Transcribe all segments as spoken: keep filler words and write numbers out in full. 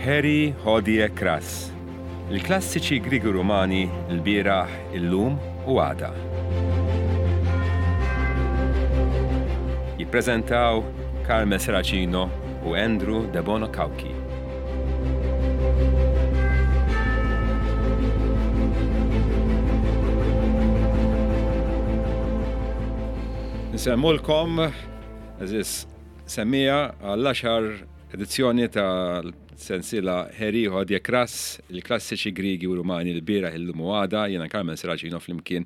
Heri Hodie Kras. Il-klassiċi Griegi Rumani l-bieraħ, illum u għada. Jippreżentaw Carmel Serracino u Andrew Debono Cauchi. Nsemmulkom, eżis semmija għall-għaxar edizzjoni tal-sensiela Heri Hodie Kras, il-klassiċi Griegi u Rumani l-bieraħ, illum u għada. Jiena Carmel Serracino flimkien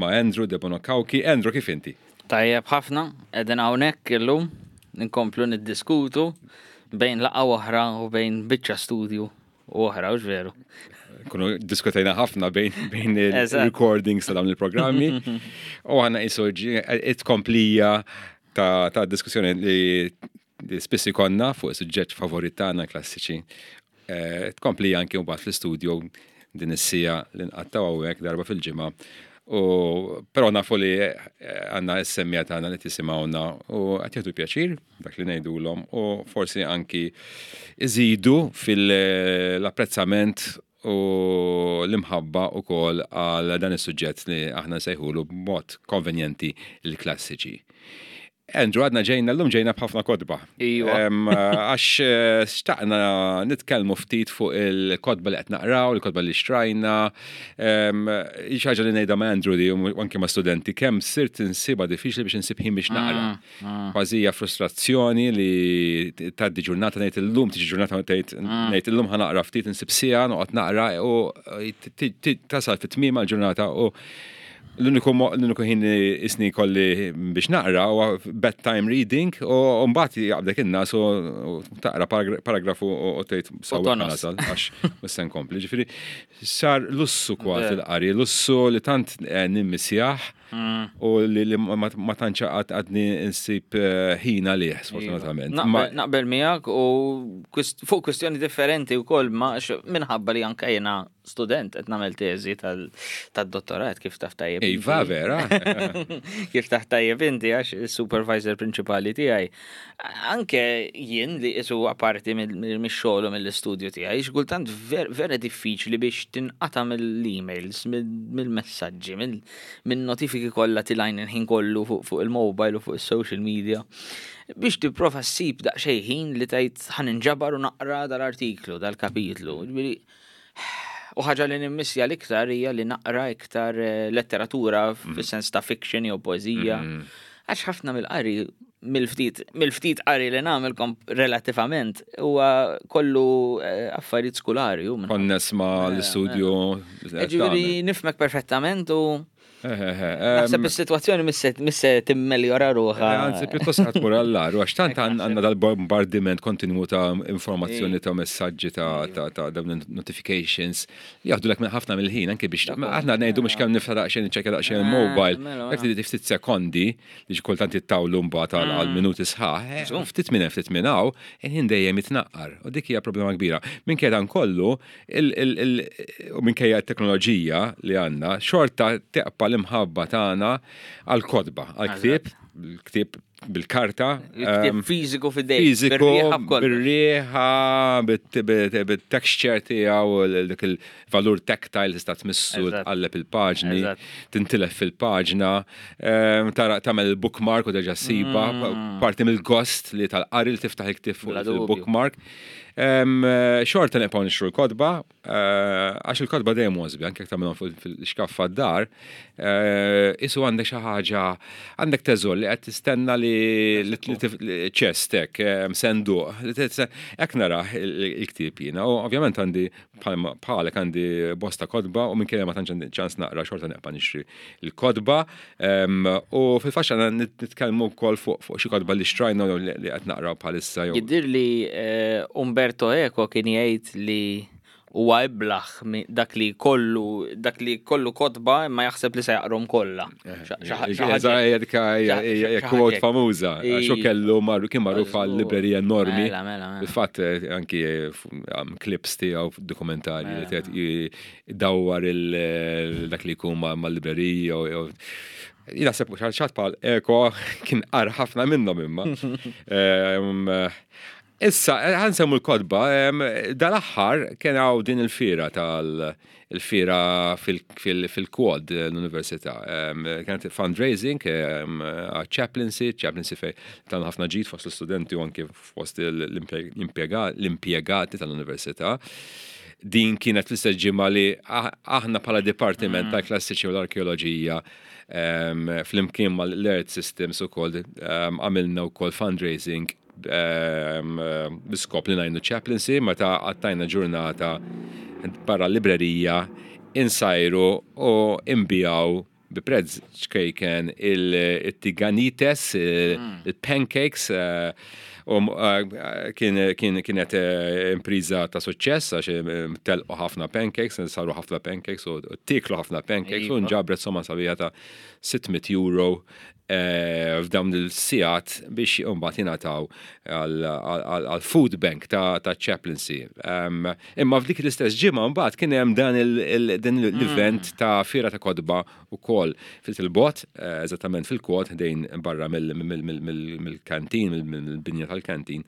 ma' Andrew Debono Cauchi. Andrew, kif inti? Tajjeb ħafna, qegħdin hawnhekk illum nkomplu niddiskutu bejn laqgħa oħra u bejn biċċa studju u oħra, u veru. Kunu diskutajna ħafna bejn, bejn il-recordings ta' dawn il-programmi. U għanna jisu it-komplija ta', ta' diskussjoni li, li spissi konna fuq suġġett favorit tagħna, klassiċi. Eh, tkomplija anki mbagħad fl-istudio din is-sija li nqattaw hawnhekk darba fil-ġimgħa. U però nafu li eh, għandna s-semmija tagħna li tisimgħuna u qed jieħdu pjaċir dak li ngħidulhom u forsi anki iżidu fil-apprezzament u l-imħabba wkoll għal dan is-suġġett li aħna nsejħulu b'mod konvenjenti l-klassiċi. Andrew, għadna ġejna, l-lum ġejna b'ħafna kotba. Iva. Għax eh, xtaqna nitkellmu ftit fuq il-kotba li qed naqraw, il-kotba li xtrajna. Xi ħaġa li ngħidha ma' Andrew li u anke ma' studenti, kemm sirt insibha diffiċli biex insib ħin biex naqra. Mm, mm. Kważi hija frustrazzjoni li tgħaddi ġurnata ngħid illum, tiġi ġurnata ngħid mm. ngħid illum ħa naqra ftit, insib siegħa noqgħod naqra u tasal fit-tmiem għall-ġurnata u l-uniku l-uniku ħin isni kolli biex naqra huwa bedtime reading u mbagħad jaqbdek in-nas u taqra paragrafu u tgħid sewwa nasal għax mhux se nkompli. Ġifieri sar lussu kważi l-qari, lussu li tant eh, nimmisjah mm. u li ma tantx għadni nsib eh, ħin għalih sfortunatament. Naqbel miegħek u fuq kwistjoni differenti wkoll ma minħabba li anke jiena student qed nagħmel teżi tad-dottorat, kif taf tajjeb. Iva, vera. Kif taf tajjeb inti għax il-supervisor prinċipali tiegħi. Anke jien li isu apparti mix-xogħol u mill-istudju tiegħi, xkultant vera diffiċli biex tinqata' mill-emails, mill-messaġġi, mill-notifiki kollha tilajn il-ħin kollu fuq il-mobile u fuq is-social media, biex tipprova ssib daqsxejn ħin li tgħid ħa ninġabar u naqra dal-artiklu, dal-kapitlu. U ħaġa li nimmissja l-iktar hija li naqra iktar eh, letteratura mm. fis-sens ta' fiction jew poeżija. Mm. Għax ħafna mill-qari, mill-ftit mill-ftit qari li nagħmel relativament huwa kollu eh, affarijiet skulari. Konness ma l-istudju. Ġifieri nifhmek perfettament u naħseb is-sitwazzjoni misse timmeljora ruħha. Anzi, pjuttost ħa tmur għall-agħar, għax tant għandna dal-bombardiment kontinwu ta' informazzjoni, ta' messaġġi, ta' ta' dawn notifications li jaħdu lek ħafna mill-ħin anke biex aħna ngħidu mhux kemm nifta daqsxejn niċċekkja daqsxejn il-mobile. Jekk ftit sekondi li kultant jittawlu mbagħad għal minuti sħaħ, ftit minn ftit minn hawn, il-ħin dejjem jitnaqqar. U dik hija problema kbira. Minkejja dan kollu, u minkejja t-teknoloġija li għandna, xorta teqpa l-imħabba tagħna għal-kotba, għal-ktieb, ktieb bil-karta. Il-ktieb fiżiku f'idejk. Fiżiku, bir-riħa, bit-texture tiegħu, dik il-valur tactile, tista' tmissu, tqalleb il-paġni, tintilef fil-paġna, tagħmel il-bookmark u terġa' ssibha, parti mill-gost li tal-qari li tiftaħ il-ktieb fuq il-bookmark. Xorta nibqgħu nixtru l-kotba, għax il-kotba dejjem għożbi, anke jekk tagħmilhom fil-xkaffa d-dar, isu għandek xi ħaġa, għandek teżor li qed tistenna li ċestek, senduq, hekk narah il-ktieb jiena. U ovvjament għandi bħalek għandi bosta kotba u minkejja ma tantx għandi ċans naqra, xorta neqpa' nixtri l-kotba. U fil-faxxa nitkellmu wkoll fuq xi kotba li xtrajna li qed naqraw bħalissa. Jidhir li Umberto Eco kien jgħid li huwa iblaħ dak li kollu dak li kollu kotba imma jaħseb li se jaqrom kollha. Hija quote famuża. Xo kellu marru kien magħruf għal librerija enormi. Fil-fatt anki clips tiegħu, dokumentarji li qed dawwar dak li jkun mal-librerija. Jien naħseb xi ħadd bħal Eco kien qar ħafna minnhom imma. Issa, ħa nsemmu l-kotba, dal-aħħar kien hawn din il-fira tal- il-fira fil-Quad l-Università. Kienet fundraising chaplaincy, chaplaincy fej tan ħafna ġid fost l-studenti u anke fost l-impjegati tal-Università. Din kienet l-istess ġimgħa li aħna bħala Dipartiment mm. tal-Klassiċi u l-Arkeoloġija flimkien mal-Earth Systems ukoll għamilna wkoll fundraising bl-iskop li ngħinu chaplaincy, meta qattajna ġurnata barra librerija insajru u nbigħu bi prezz ċkejken il-tiganites, mm. il-pancakes, eh, u eh, kienet eh, impriża ta' suċċess għax telqu ħafna pancakes, saru ħafna pancakes u tieklu ħafna pancakes u iva. nġabret somma sabiħa ta' sitt mitt euro Eh, f'dawn il-sigħat biex imbagħad jingħataw għal-food bank ta' chaplaincy. Imma f'dik l-istess ġimgħa mbagħad kien hemm dan l-event mm. ta' fira ta' kotba ukoll fil-bot, eh, eżattament fil-Quad, dejn barra mill-kantin, mill-binja tal-kantin.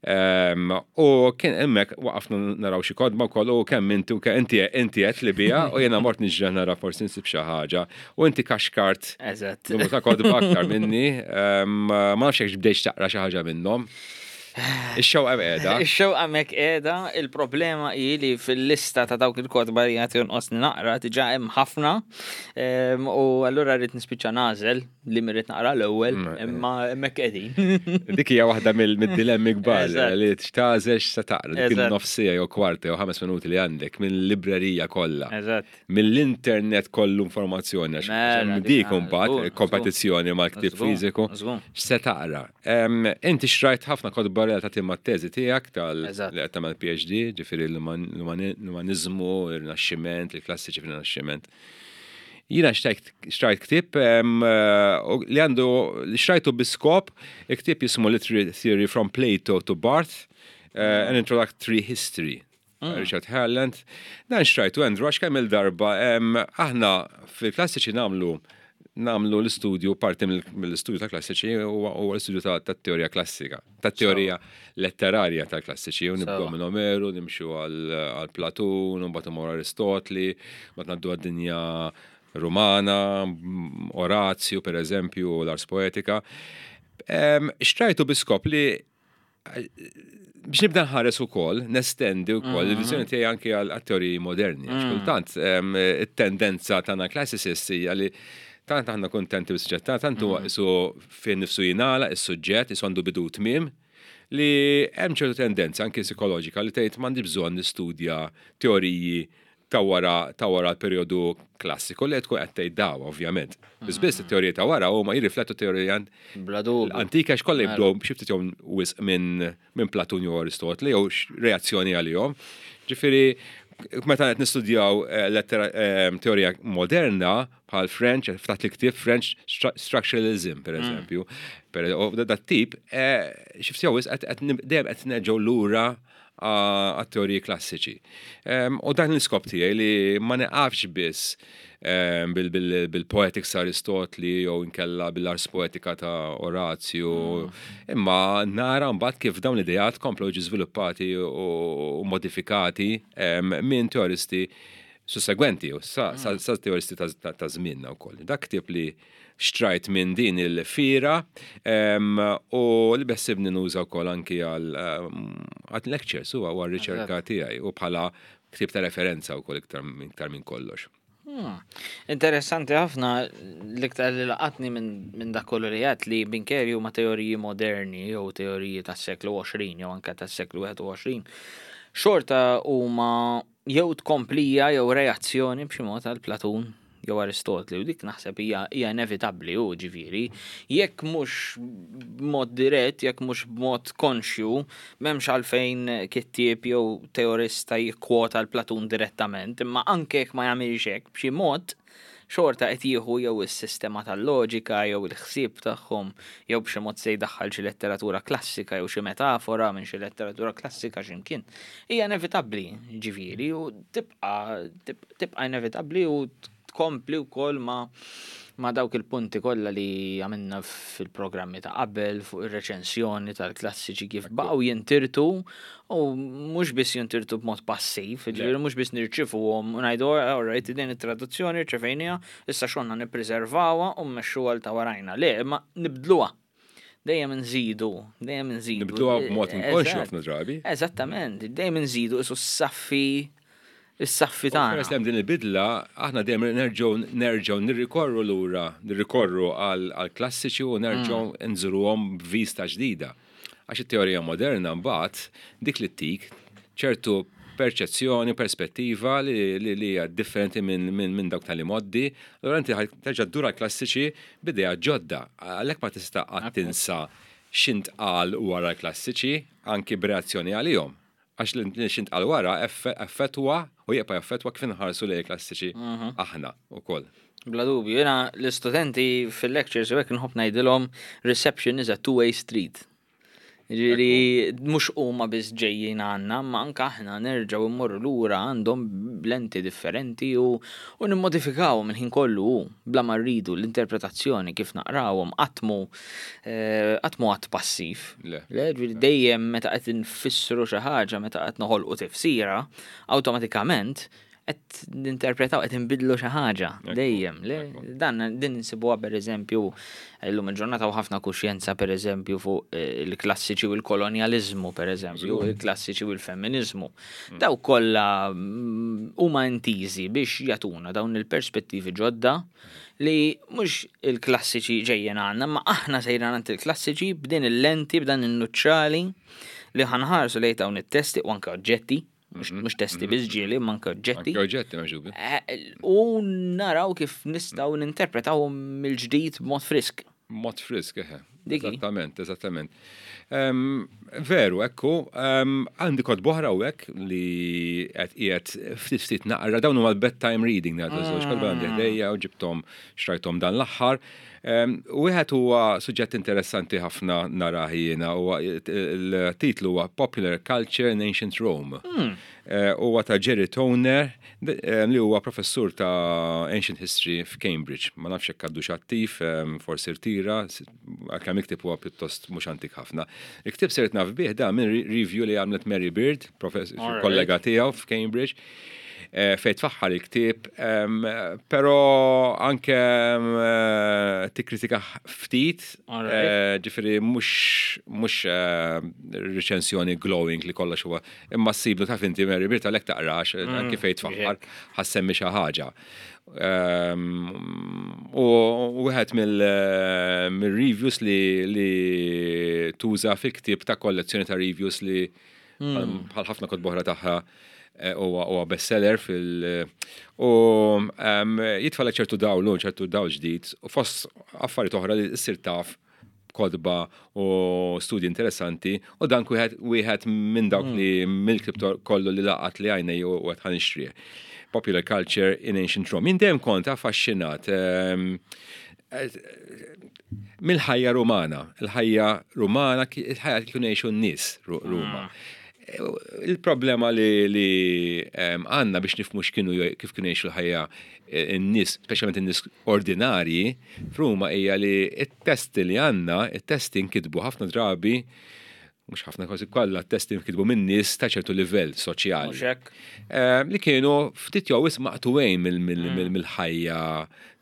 U kien hemmhekk waqafna naraw xi kotba wkoll u kemm inti u inti inti qed li bija u jiena mort niġri nara forsi nsib xi ħaġa u inti kaxkart. Eżatt. Numru ta' kotba aktar minni. Ma nafx jekk bdejx taqra xi ħaġa minnhom. Ix-xewqa qiegħda. Ix-xewqa hemmhekk qiegħda, il-problema hi li fil-lista ta' dawk il-kotba li qed jonqosni naqra diġà hemm ħafna. U allura rrid nispiċċa nagħżel li rrid naqra l-ewwel, mm, imma hemmhekk qegħdin. Dik hija waħda mill-dilemmi kbar li tagħżel x'se taqra, dik nofs siegħa jew kwarta jew ħames minuti li għandek mill-librerija kollha. Mill-internet kollu informazzjoni, għax mela, dik imbagħad kompetizzjoni mal-ktieb fiżiku, x'se taqra. Inti xtrajt ħafna kotba relatati mat-teżi tiegħek tal li qed tagħmel P H D, ġifieri l-umaniżmu, il-Rinaxximent, il-klassiċi fil-Rinaxximent. Jiena xtrajt ktieb li għandu li xtrajtu bi skop, il-ktieb jismu Literary Theory from Plato to Barth, uh, an Introductory History. Mm. Richard Herland. Dan xtrajtu, Andrew, għax kemm il-darba aħna fil-klassiċi nagħmlu nagħmlu l-istudju, parti mill-istudju ta' klassiċi u l-istudju ta' teorija klassika, ta' teorija letterarja ta' klassiċi, u nibdew minn Omeru, nimxu għal Platun, u mbagħad Aristotli, mbagħad ngħaddu għad-dinja Rumana, Orazju per eżempju, l-Ars Poetica. Xtrajtu bi skop li biex nibda nħares ukoll, nestendi wkoll mm. il-viżjoni tiegħi anke għal teoriji moderni. Għax mm. kultant it-tendenza tagħna classicists hija li tant aħna kontenti bis-suġġett, tant huwa mm. isu fejn nifsu jingħala is-suġġett, isu għandu bidu tmiem, li hemm ċertu tendenza anke psikoloġika li tgħid m'għandi bżonn nistudja teoriji ta' wara ta' wara l-perjodu klassiku li tkun qed tgħid daw, ovvjament. Biss biss it-teorija ta' wara huma jirriflettu teorija l-antika x'kollha jibdew xi ftit jew wisq minn minn Platun jew Aristotli jew reazzjoni għalihom. Ġifieri meta qed nistudjaw eh, eh, teorija moderna bħal French, ftaħt il-ktieb French Structuralism, per mm. eżempju. Dat tip, eh, xi ftit jew wisq dejjem qed nerġgħu lura għat-teoriji klassiċi. U dan l-iskop tiegħi li ma neqafx biss bil-poetics Aristotli jew inkella bil-Ars Poetica ta' Orazio, mm. imma nara mbagħad kif dawn l-idejat komplu ġi żviluppati u modifikati minn teoristi sussegwenti, sa, sa, mm. sa teoristi ta' żmienna wkoll. Dak ktieb li xtrajt minn din il-fira u li beħsiebni nuża wkoll anki għal lectures u għal riċerka tiegħi u bħala ktieb ta' referenza wkoll iktar minn kollox. Hmm. Interessanti ħafna, l-iktar li laqatni minn dak kollu li għedt li minkejja huma teoriji moderni jew teoriji tas-seklu għoxrin jew anke tas-seklu wieħed u għoxrin, xorta huma jew tkomplija jew reazzjoni b'xi mod għal Platun jew Aristotli, u dik naħseb hija hija inevitabbli u ġifieri jekk mhux b'mod dirett, jekk mhux b'mod konxju, m'hemmx għalfejn kittieb jew teorista jikkwota l-Platun direttament, imma anke jekk ma jagħmilx hekk, b'xi mod xorta qed jieħu jew is-sistema tal-loġika jew il-ħsieb tagħhom jew b'xi mod se jdaħħal xi letteratura klassika jew xi metafora minn xi letteratura klassika x'imkien. Hija inevitabbli, ġifieri, u tibqa' tibqa' inevitabbli u tkompli wkoll ma ma dawk il-punti kollha li għamilna fil-programmi ta' qabel fuq ir-reċensjoni tal-klassiċi, kif baqgħu jintirtu, u mhux biss jintirtu b'mod passiv, ġifieri mhux biss nirċifuhom u ngħidu, "Alright, din it-traduzzjoni rċevejniha, issa xonna nippreservawha u mmexxuha l ta' warajna." Le, imma nibdluha. Dejjem nżidu, dejjem nżidu. Nibdluha b'mod inkonxju Eżatt. ħafna drabi. Eżattament, dejjem nżidu isu s-saffi is-saffi tagħna. Peress li hemm din il-bidla, aħna dejjem nerġgħu nerġgħu nirrikorru lura, nirrikorru għal għal klassiċi u nerġgħu nżuruhom b'vista ġdida. Għax it-teorija moderna mbagħad dik li ttik ċertu perċezzjoni, perspettiva li li li hija differenti minn min, min dawk tal-imgħoddi. Allura inti ħa terġa' ddur għall-klassiċi b'idea ġodda. Għalhekk ma tista' qatt tinsa x'intqal wara l-klassiċi, anki b'reazzjoni għalihom. Għax li x'intqal wara effe- effettwa u jibqa' jaffettwa kif inħarsu lejn klassiċi aħna wkoll. Bla dubju, jena l-istudenti fil-lectures u hekk nħobb ngħidilhom, "Reception is a two-way street." Ġifieri mhux huma biss ġejjin għandna, ma anke aħna nerġgħu immorru lura għandhom b'lenti differenti u, u nimmodifikaw minn ħin kollu u bla ma rridu l-interpretazzjoni kif naqrawhom. Qatt mhu eh, qatt mhu għadd passiv. Le. Le, ġifieri dejjem meta qed nfissru xi ħaġa, meta qed noħolqu tifsira, awtomatikament qed ninterpretaw, qed inbidlu xi ħaġa dejjem. Le, dan din insibuha, pereżempju, illum il-ġurnata u ħafna kuxjenza, pereżempju, fuq eh, il-klassiċi u l-kolonjaliżmu, pereżempju, il-klassiċi u l-feminiżmu. Daw kollha mm, huma intiżi biex jagħtuna dawn il-perspettivi ġodda li mhux il-klassiċi ġejjin għandna, ma aħna sejra għand il-klassiċi b'din il-lenti, b'dan il-nuċċali li ħa nħarsu lejn dawn it-testi u anke oġġetti, mhux mhux testi biss ġieli, ma anke oġġetti. Anke oġġetti maġubi. Eh, U naraw kif nistgħu ninterpretawhom mill-ġdid b'mod frisk. Mod frisk, eħe. Diki. Eżattament, eżattament. Em, veru, ekku, em, għandi kotba oħra u hekk li qed qiegħed ftit ftit naqra, dawn huma l-bedtime reading ngħidu, żewġ kotba għandi ħdejja u ġibthom, xtrajthom dan l-aħħar. Em, Wieħed huwa suġġett interessanti ħafna narah jiena, huwa il-titlu huwa Popular Culture in Ancient Rome. Eh, Huwa ta' Jerry Toner d- eh, li huwa professur ta' Ancient History f'Cambridge. Ma nafx hekk għadux attiv, em, forsi rtira, s- għalkemm il-ktieb huwa pjuttost mhux antik ħafna. Il-ktieb sirt naf bih da minn re- review li għamlet Mary Beard, professor Alright. kollega tiegħu f'Cambridge, eh, fejn tfaħħar il-ktieb, em, però anke em, eh, tikkritika ftit, Alright. eh, ġifieri mhux mhux eh, reċensjoni glowing li kollox huwa, imma ssiblu, taf inti Mary Beard, għalhekk taqrax, anke fejn tfaħħar ħa ssemmi xi ħaġa. Um, U wieħed mill-reviews li, li tuża fil-ktieb ta' kollezzjoni ta' reviews li bħal ħafna kotba oħra tagħha eh, huwa huwa bestseller fil- u um, jitfalek ċertu dawl, ċertu dawl ġdid u fost affarijiet oħra li ssir taf kotba u studji interessanti, u dan wieħed wieħed minn dawk li mill-ktieb kollu li laqat li għajnej u qed ħa nixtrih. Popular Culture in Ancient Rome. Jien dejjem kont affaxxinat ehm, eh, mill-ħajja Rumana. Il-ħajja Rumana, ki- il-ħajja li kienu jgħixu n-nies Ru- Ruma. Il-problema li, li em, għandna biex nifhmu x'kienu kif kienu jgħixu l-ħajja eh, n-nies, speċjalment in-nies ordinarji f'Ruma, hija li it-testi li għandna, it-testi nkitbu ħafna drabi, mhux ħafna, kważi kollha t-testi nkitbu minn nies ta' ċertu livell soċjali. Mhux hekk? Eh, li kienu ftit jew wisq maqtugħin mill- mill- mill- mill-ħajja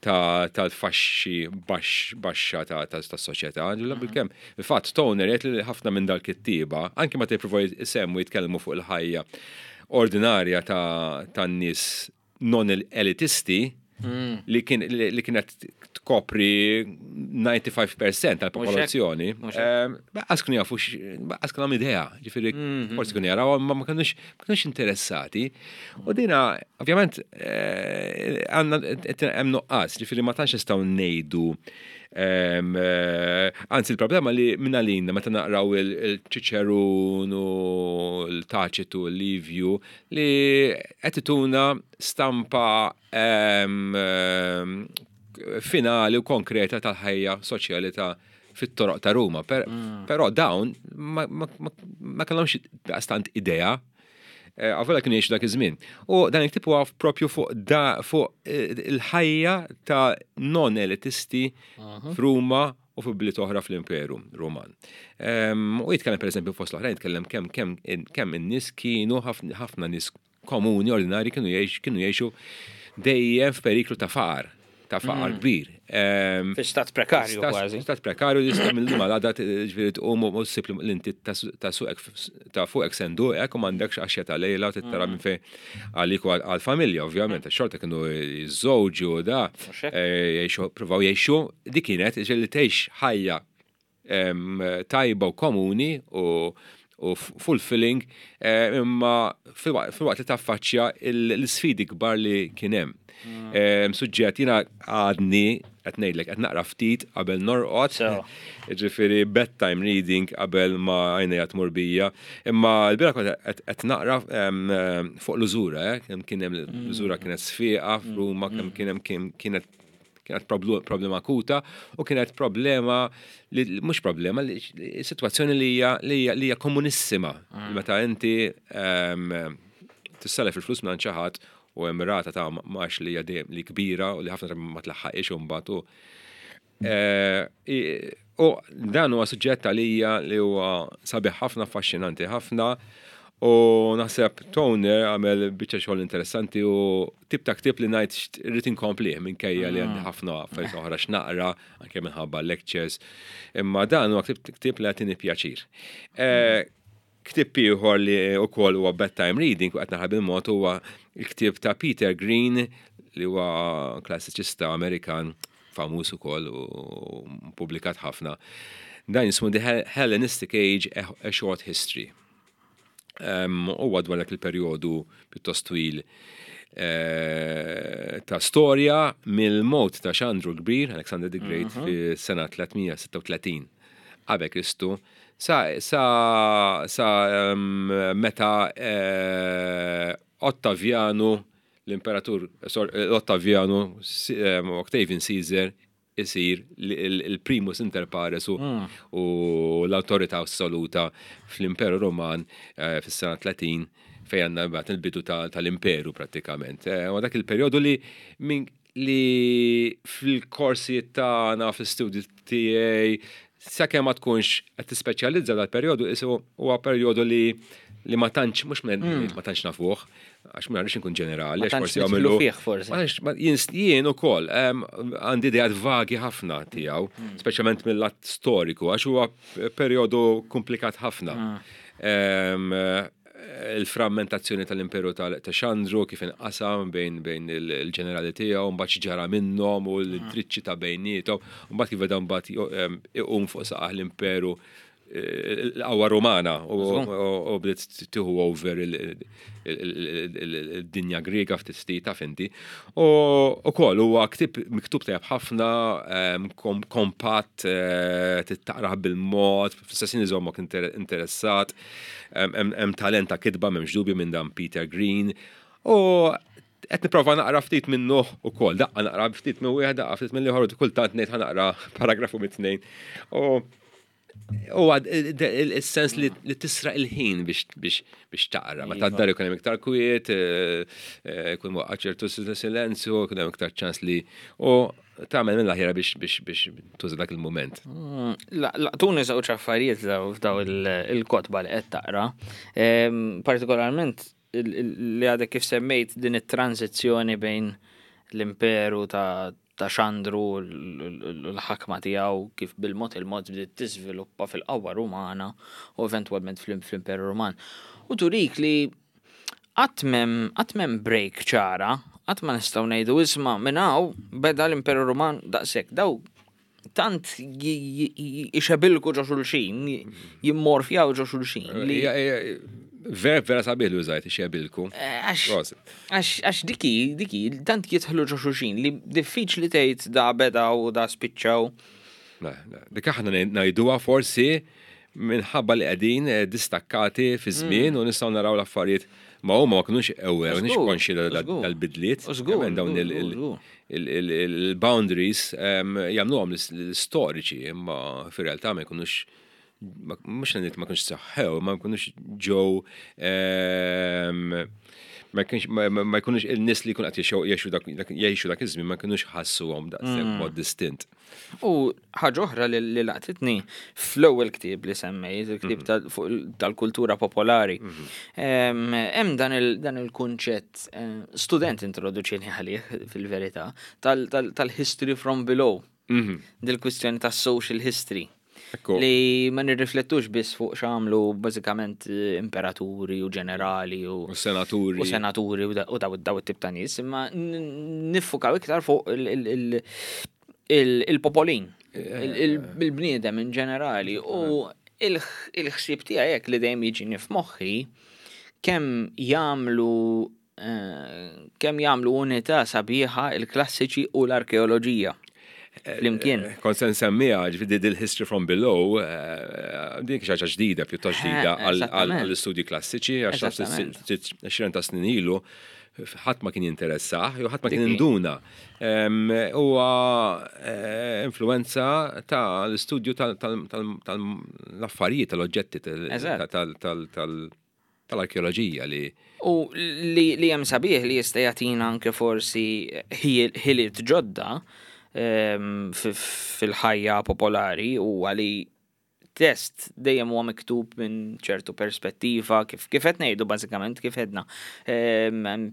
ta' tal-faxxi baxx baxxa ta' ta' tas-soċjetà. Bil-kemm. Il-fatt Toner jgħid li ħafna minn dal-kittieba, anke ma tippruvaw isemmu, jitkellmu fuq il-ħajja ordinarja ta' tan-nies non elitisti li kien li li kienet tkopri disgħa u disgħin fil-mija tal-popolazzjoni. Mhux hekk. Lanqas kienu jafu, lanqas kienu idea, ġifieri forsi kienu jaraw, ma ma kinux ma kinux interessati. U dina, ovvjament, eh, għandna hemm nuqqas, ġifieri ma tantx nistgħu ngħidu em, eh, Anzi, il-problema li minn għalina meta naqraw il-Ċiċerun u l-Taċitu, l-Livju, li qed ituna stampa em, em, finali u konkreta tal-ħajja soċjali ta' fit-toroq ta' Ruma. Per, Però dawn ma, ma, ma, ma kellhomx daqstant idea. Għavola kienu jgħixu dak iż-żmien. U dan il-ktieb huwa propju fuq da fuq eh, il-ħajja ta' non-elitisti f'Ruma u fi bliet oħra fl-Imperu Ruman. Em, U jitkellem pereżempju fost l-oħrajn jitkellem kemm kemm kemm in-nies kienu ħafna ħafna nies komuni ordinari kienu jgħix kienu jgħixu dejjem f'periklu ta' faqar, ta' faqar kbir. Em, Fi stat prekarju Stat- kważi. Stat prekarju li jista' mill-lum għal ġifieri tqum u ssib li inti ta' suqek ta' fuqek senduqek u m'għandekx għaxja ta' lejla u tittara minn fejn għalik u għal-familja, ovvjament, xorta kienu jiżżewġu u da, Mhux hekk? eh, jgħixu, provaw jgħixu, dik kienet ġifieri li tgħix ħajja em, tajba u komuni u u fulfilling, eh, imma fil-waqt li taffaċċja l-sfidi kbar li kien hemm. Em, Suġġett jiena għadni qed ngħidlek qed naqra ftit qabel norqod. So. Ġifieri bedtime reading qabel ma għajnejja tmur bija. Imma l-bieraħ kont qed qed naqra em, em, fuq l-użura, eh, kemm kien hemm l-użura kienet sfiqa f'Ruma, kemm kien hemm kien- kienet kienet problu- problema akuta u kienet problema li mhux problema li li- situazzjoni li hija li hija li hija komunissima. Meta inti em, tissellef il-flus minn xi ħadd u hemm rata ta' mgħax li hija dejjem li kbira u li ħafna drabi ma tlaħħaqix u mbagħad u Eh, i- U dan huwa suġġett għalija li huwa sabiħ ħafna, affaxxinanti ħafna. U naħseb Toner għamel biċċa xogħol interessanti u tip ta' ktieb li ngħid irrid inkomplih minkejja li għandi ħafna affarijiet oħra x'naqra anke minħabba lectures. Imma dan huwa ktieb ktieb li jagħtini pjaċir. Eh, Ktieb ieħor li wkoll huwa bedtime reading u qed naħrab bil-mod huwa il-ktieb ta' Peter Green li huwa klassiċista Amerikan famuż ukoll u publikat ħafna. Dan jismu The Hellenistic Age, A A Short History. Um, Huwa dwar dak il-perjodu pjuttost twil eh, ta' storja mill-mot ta' Xandru l-Kbir, Alexander the Great, fi sena tliet mija u sitta u tletin qabel Kristu, sa, sa, sa um, meta eh, Ottavianu, l-imperatur, sor, eh, Ottavianu, Si- em, Octavian Caesar, isir il-primus inter pares u, u l-autorità assoluta fl-Imperu Roman eh, fis-sena tletin fejn għandna mbagħad il-bidu ta- tal-imperu prattikament. Eh, U dak il-perjodu li min li fil-korsi tagħna fl-istudji tiegħi sakemm ma tkunx qed tispeċjalizza dal-perjodu isu huwa perjodu li li ma tantx mhux men- ma tantx nafuh għax ma rridx inkun ġenerali Ma għax tantx forsi nidħlu jagħmlu fih forsi. Ma tantx- ma- jien jien ukoll em, għandi ideat vagi ħafna tiegħu, speċjalment mill-lat storiku, għax huwa perjodu komplikat ħafna. Em, Il-frammentazzjoni tal-imperu tal- ta' Xandru kif inqasam bejn bejn il- il-ġenerali tiegħu, mbagħad ġara minnhom u l-intriċċi ta' bejniethom, u mbagħad kif beda mbagħad jo- em, iqum fuq saqah l-imperu eh, l-qawwa Romana u u- u bdiet tieħu over il- il- il- il- il-dinja Griega ftit ftit taf inti. U ukoll huwa ktieb miktub tajjeb ħafna, em, kom- kompatt, eh, tittaqrah bil-mod, fl-istess ħin iżommok inter- interessat, hemm hemm talent ta' kitba m'hemmx dubju minn dan Peter Green. U qed nipprova naqra ftit minnu ukoll, daqqa naqra ftit minn wieħed, daqqa ftit minn ieħor, u kultant ngħid ħa naqra paragrafu mit-tnejn. U U għad il-sens li li tisraq il-ħin biex biex biex taqra. Meta d-dar ikun hemm iktar kwiet, eh, eh, ikun waqqa ċertu silenzju, ikun hemm iktar ċans li u tagħmel minn l-aħjar biex biex biex tuża dak il-moment. Mm, La- Laqtuni żewġ affarijiet daw f'daw il- il-kotba li qed taqra. Em, Partikolarment il- il- li għadek kif semmejt din it-tranzizzjoni bejn l-imperu ta' ta' Xandru l- l- l-ħakma tiegħu kif bil-mod il-mod bdiet tiżviluppa fil-qawwa Rumana u eventwalment fl- fl-Imperu Ruman. U turik li qatt m'hemm qatt m'hemm break ċara, qatt ma nistgħu ngħidu isma' minn hawn beda l-Imperu Ruman daqshekk. Daw tant ixebilku ġo xulxin, jimmorfjaw ġo xulxin. Li Hija- hija- Vera vera sabiħ li użajt ixebilku. Eh, Għax Prosit. għax għax diki, diki, tant jidħlu ġo xulxin li diffiċli tgħid da beda u da spiċċaw. Le, le. Dik aħna ngħiduha forsi minħabba li qegħdin eh, distakkati fi żmien u nistgħu naraw l-affarijiet ma huma ma kinux aware, mhux Żgur, konxi żgur. dal-bidliet. Żgur, Hemm dawn żgur, il- il- żgur. il- il- il-boundaries em, jagħmluhom l-istoriċi, imma fir-realtà ma jkunux mhux ngħid ma kienx saħħew, ma jkunux ġew ehm, ma kienx ma ma jkunux il-nies li jkun qed jgħixu dak jgħixu dak iż-żmien ma jkunux ħassuhom daqshekk mm. mod distint. U ħaġa oħra li laqtitni fl-ewwel ktieb li semmejt, il-ktieb mhm. tal-kultura popolari. Mhm. Hemm dan il-kunċett, eh, student introduċini għalih fil-verità, tal-history from below. Mhm. Dil-kwistjoni tas-social history. Li ma nirriflettux biss fuq x'għamlu bażikament eh, imperaturi u ġenerali u, u senaturi. U senaturi u daw daw it-tip ta' nies, imma niffukaw iktar fuq il-popolin, eh, il-bniedem in ġenerali u il-ħsieb tiegħek hekk li dejjem jiġini f'moħħi kemm jagħmlu eh, kemm jagħmlu unità sabiħa il-klassiċi u l-arkeoloġija flimkien. Eh, kont se nsemmiha, ġifieri dil-History from Below, eh, din xi ħaġa ġdida, pjuttost ġdida għall-istudji klassiċi, għax għoxrin ta' snin ilu, ħadd ma kien jinteressah, jew ħadd ma kien induna. Huwa eh, influenza ta' l-istudju tal-affarijiet, tal-oġġetti, tal-arkeoloġija li. U li hemm sabiħ li jista' jagħtina anke forsi ħiliet ġodda fil-ħajja popolari huwa li test dejjem huwa miktub minn ċertu perspettiva, kif kif qed ngħidu bażikament kif edna.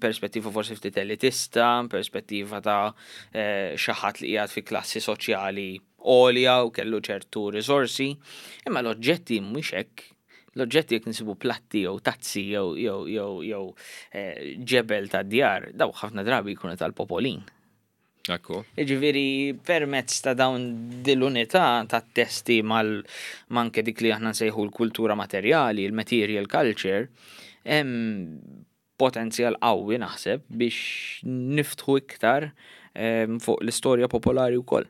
Perspettiva forsi ftit elitista, perspettiva ta' eh, xi ħadd li qiegħed fi klassi soċjali għolja u kellu ċertu risorsi, imma l-oġġetti mhux hekk. L-oġġetti jekk nsibu platti jew tazzi jew jew jew jew eh, ġebel ta' djar, daw ħafna drabi jkunu tal-popolin. Ekku. Jiġifieri permezz ta' dawn dil-unità ta' testi mal manke dik li aħna nsejħu l-kultura materjali, il-material culture, hemm potenzjal qawwi naħseb biex niftħu iktar em, fuq l-istorja popolari wkoll.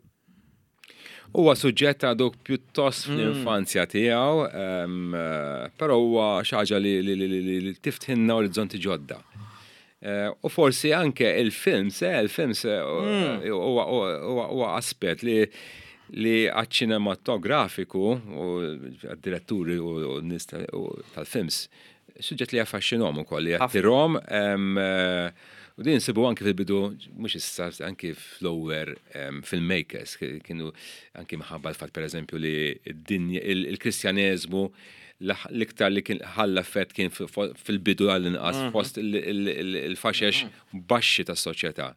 Huwa suġġett għadu pjuttost fl-infanzja tiegħu, em, eh, però huwa xi ħaġa li, li, li, li, li tiftħilna orizzonti ġodda. Eh, U forsi anke il-films, eh, il-films eh, huwa huwa- huwa aspett li li għaċ-ċinematografiku u għad-diretturi u u n-nies tal- u tal-films, suġġett li jaffaxxinhom ukoll, li jattirhom em, eh, u din nsibu anke fil-bidu, mhux issa, anke fl-lower em, filmmakers, kienu anke minħabba l-fatt pereżempju li d-dinja, il- il-Kristjaneżmu l-iktar li kien ħalla effett kien fil-bidu għall-inqas fost il- il- il- il-faxex baxxi tas-soċjetà.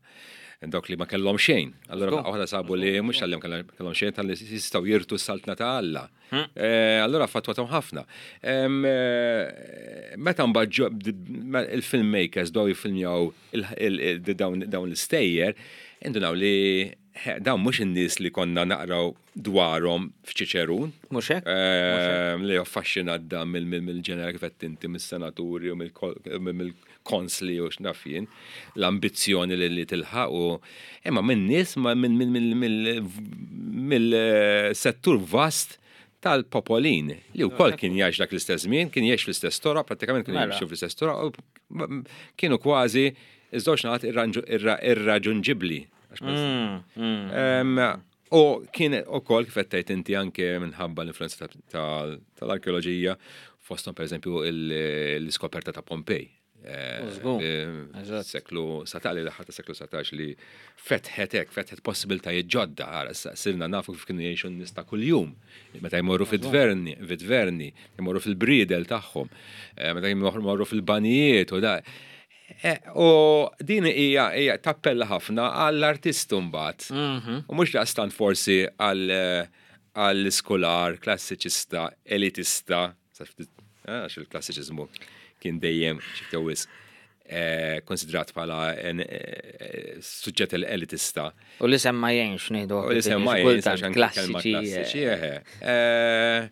Dawk li ma kellhom xejn. Allora waħda sabu li mhux tal kellhom xejn tal-li jistgħu jirtu s-saltna ta' Alla. Eh, Allora affettwathom ħafna. Em, eh, Meta mbagħad ġo- il-filmmakers bdew jiffilmjaw il- il- il- dawn dawn l-istejjer, indunaw li he, dawn mhux in-nies li konna naqraw dwarhom f'Ċiċerun. Mhux hekk? Ehm, Li affaxxinat da mill-ġeneral kif qed inti mis-senaturi u mill-konsli u x'naf jien, l-ambizzjoni li li tilħaq u imma minn nies ma minn mill-settur vast tal-popolin li wkoll kien jgħix dak l-istess żmien, kien jgħix fl-istess toroq, prattikament kienu Mela. jimxu fl-istess toroq, u kienu kważi iż-żewġ naħat irraġunġibbli. Għax ma Mm, mm. Em, U kien ukoll kif qed tgħid inti anke minħabba l-influenza ta- ta- tal-arkeoloġija, fosthom pereżempju il- l-iskoperta ta' Pompej. Eh, Żgur, eh, eżatt. Seklu satax, li l-aħħar ta' seklu satax li fetħet hekk, fetħet possibiltajiet ġodda, ara, issa sirna nafu kif kienu jgħixu n-nies ta' kuljum. Meta jmorru fit-tverni, fit-tverni, jmorru fil-bridel tagħhom, eh, meta jmorru fil-banijiet u da. Eh, U din hija hija tappella ħafna għall-artist mbagħad. Mhm. U mhux daqstant forsi għall għall-iskolar, klassiċista, elitista, sa ftit- eh, għax il-klassiċiżmu kien dejjem xi ftit wisq, eh, konsidrat bħala en- eh, suġġett elitista. U li semma jgħinx ngħidu. U li semma jgħinx għax anke kelma klassiċi. klassiċi, eħe. Eh,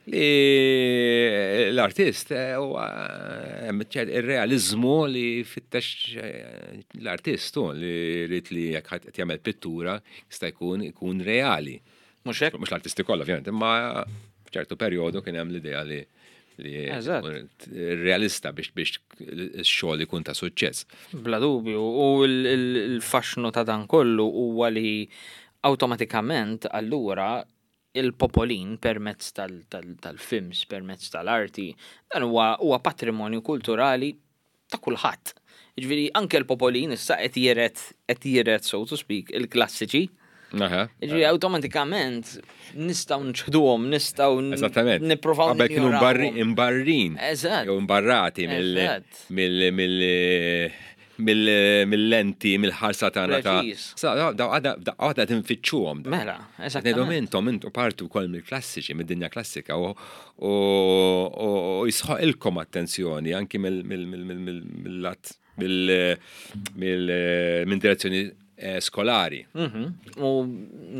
Li l-artist eh, huwa hemm ċert ir-realizmu li fittex eh, l-artist hu li jrid li jekk ħadd qed jagħmel pittura jista' jkun ikun reali. Mhux hekk? Mhux l-artisti kollha ovvjament, imma f'ċertu perjodu kien hemm l-idea li li Eżatt. realista biex biex x-xogħol ikun ta' suċċess. Bla dubju, u l- il- il-faxnu ta' dan kollu huwa li awtomatikament allura il-popolin permezz tal-films, permezz tal-arti, dan huwa patrimonju kulturali ta' kulħadd. Ġifieri anke l-popolin issa qed jiret qed jiret so to speak il-klassiċi. Ġifieri awtomatikament nistgħu nċħduhom, nistgħu nippruvaw. Qabel kienu imbarrin. Eżatt. Jew imbarrati mill mill-lenti, mill-ħarsa tagħna ta' għadha tinfittxuhom. Mela, eżattament. Intom intom parti wkoll mill-klassiċi, mid-dinja klassika u jisħoq ilkom attenzjoni anki mill-lat minn direzzjoni skolari. U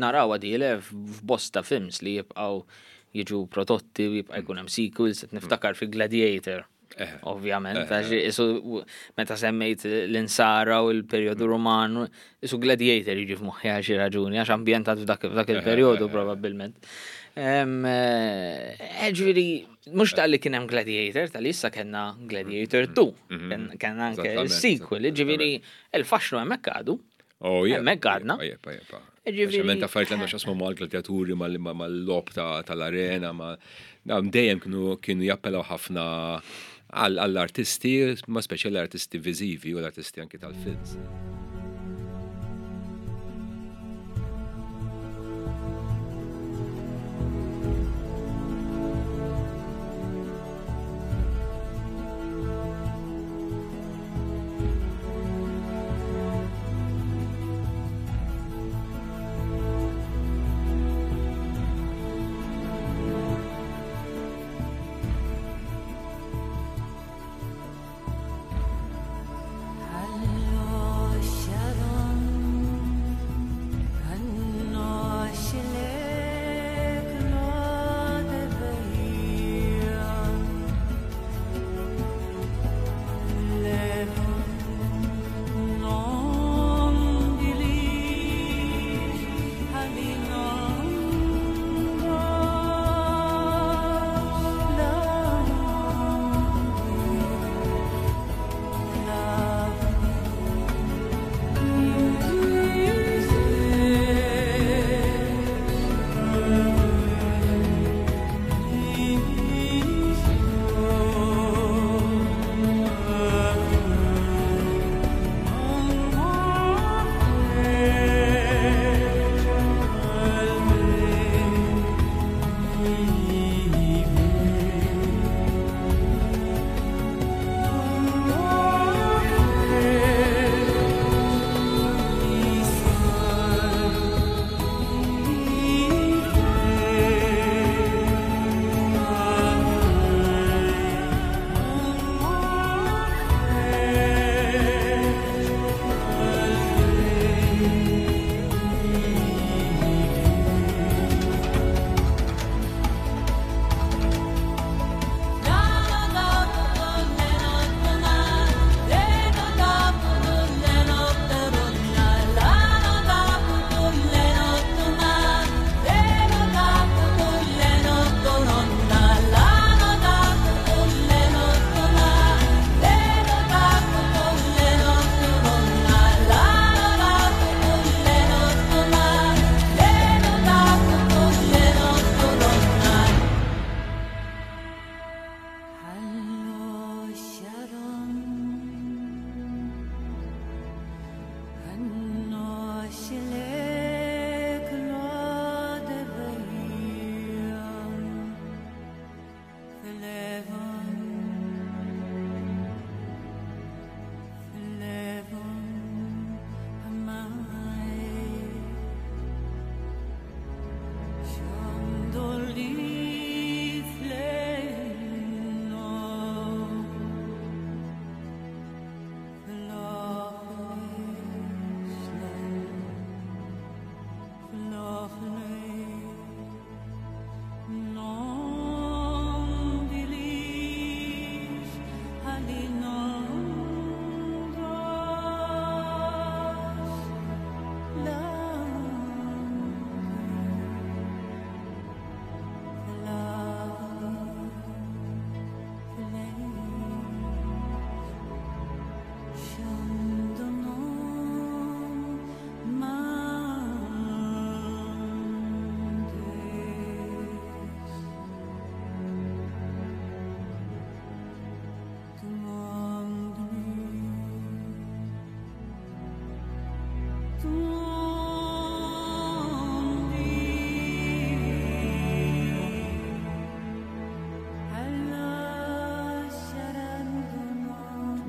naraw għadile f'bosta films li jibqgħu jiġu prodotti u jibqa' jkun hemm sequels, qed niftakar fi Gladiator. Ovvjament, għax isu meta semmejt l-insara u l-perjodu Roman, isu Gladiator jiġi f'moħħi għal xi raġuni, għax ambjentat f'dak il-perjodu probabbilment. Ġifieri, mhux tal-li kien hemm Gladiator, tal-li issa kellna Gladiator two, kellna anke sequel, ġifieri il-faxnu hemmhekk għadu. Hemmhekk għadna. Ġifieri affarijiet li għandhom x'jaqsmu mal-gladiaturi, mal-logħob tal-arena, dejjem kienu jappellaw ħafna għall-artisti, ma speċi l-artisti viżivi u l-artisti anki tal-films. Allo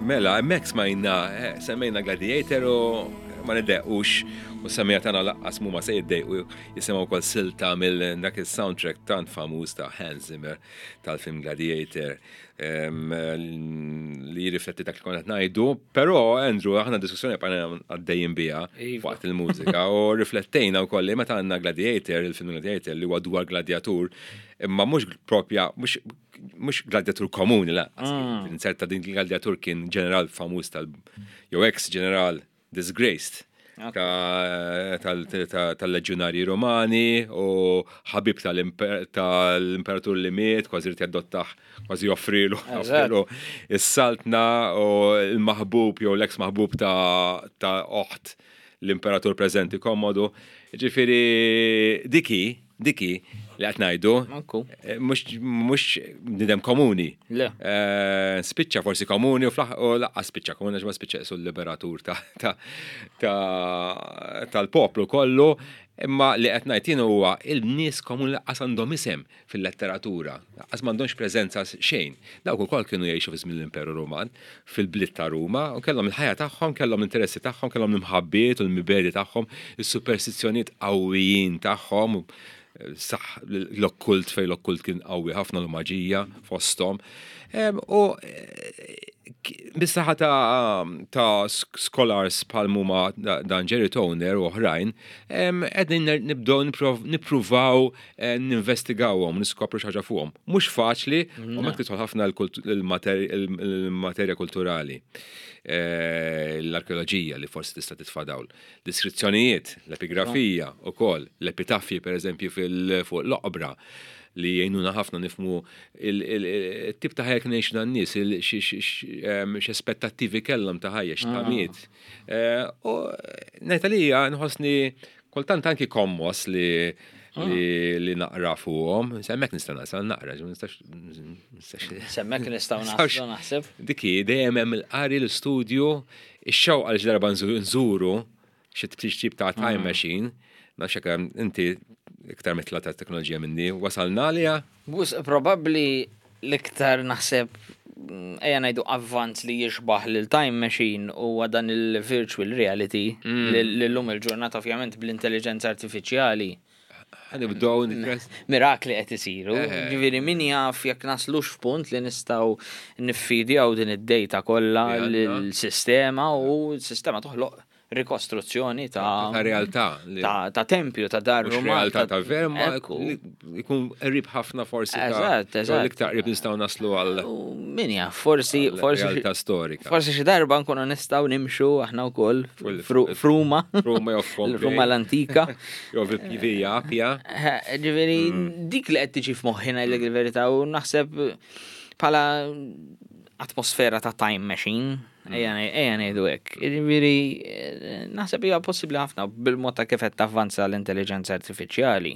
Mela, hemmhekk smajna, eh, semmejna Gladiator u ma niddejqux u semmiegħa tagħna lanqas mhuma se jiddejqu jisimgħu wkoll silta mill dak il-soundtrack tant famuż ta' Hans Zimmer tal-film Gladiator em, li jirrifletti dak li konna qed ngħidu, però Andrew aħna diskussjoni bqajna għaddejjin biha Iva. waqt il-mużika u riflettejna wkoll li meta għandna Gladiator, il-film Gladiator li huwa dwar gladiatur, imma mhux propja mhux mhux gladiatur komuni la, mm. inserta din il-gladiatur kien ġeneral famuż tal jew ex ġeneral disgraced ta- tal- ta- tal-leġjonarji Romani u ħabib tal-imper- tal-imperatur li miet, kważi rrid jaddottah, kważi joffrilu joffrilu is-saltna u l-maħbub jew l-ex maħbub ta' ta' oħt l-imperatur preżenti Kommodu. Ġifieri diki, diki li qed ngħidu, Manku. eh, mhux mhux bniedem komuni. Le. Eh, Spiċċa forsi komuni u fl u lanqas spiċċa komuni għax ma spiċċa qisu l-liberatur ta' ta' ta' tal-poplu kollu, imma li qed ngħid jien huwa il-nies komuni lanqas għandhom isem fil-letteratura, lanqas m'għandhomx preżenza xejn. Dawk ukoll kienu jgħixu fi żmien l-Imperu Ruman, fil-bliet ta' Ruma, u kellhom il-ħajja tagħhom, kellhom l-interessi tagħhom, kellhom l-imħabbiet u l-mibegħdi tagħhom, is-superstizzjonijiet qawwijin tagħhom, saħ l-okkult fej l-okkult kien qawwi ħafna l-maġija fosthom. Em, U eh, bis-saħħa ta' ta' sk- scholars bħal huma dan Jerry Toner u oħrajn, em, qegħdin nibdew nipprov- nippruvaw eh, ninvestigawhom, niskopru xi ħaġa fuqhom. Mhux faċli, u mek tidħol ħafna l-kult- il-mater- il-materja kulturali. Eh, L-arkeoloġija li forsi tista' titfa' dawl. Deskrizzjonijiet, l-epigrafija ukoll, l-epitafji per eżempju fil- fuq l-oqbra li jgħinuna ħafna nifhmu il-tip ta' ħajja kien jgħixu dan-nies, il- xi- xi- xi- em, x'aspettattivi kellhom ta' ħajja, x'tamiet. Eh, U ngħid għalija nħossni kultant anki kommos li li li naqra fuqhom, hemmhekk nista' nasal naqra, ġi ma nistax nistax S'hemmhekk nistgħu naslu naħseb. Diki, dejjem hemm il-qari l-istudju, ix-xewqa li xi darba nżu- nżuru xi tip ta' time machine, nafx hekk inti iktar mitla ta' teknoloġija minni, wasalna għaliha? Bus, probabli l-iktar naħseb mm, ejja ngħidu avvanz li jixbaħ lil time machine huwa dan il-virtual reality li li llum il-ġurnata ovvjament bl-intelligenza artifiċjali. Ħa nibdew nitress. Mirakli qed isiru. Eh. Ġifieri min jaf jekk naslux f'punt li nistgħu niffidjaw din id-data kollha Li għandna. lill-sistema u s-sistema toħloq rikostruzzjoni ta' Ta' realtà. li- ta' ta' tempju ta' dar Mhux Ruman, realtà ta' ver, ma Ekku. li jkun qrib ħafna forsi ta' Eżatt, eżatt. L-iktar qrib nistgħu naslu għal U min jaf, forsi forsi realtà storika. Forsi xi darba nkunu nistgħu nimxu aħna wkoll Fil- fru- f'Ruma. Ruma jew f'Pompej. Ruma l-antika. Jew Via Appia. Eh, Ġifieri dik li qed tiġi f'moħħi ngħidlek il-verità u naħseb bħala atmosfera ta' time machine. Ejja ngħid- ejja ngħidu hekk. Ġifieri eh, naħseb hija possibbli ħafna bil-mod ta' kif qed tavvanza l-intelligenza artifiċjali.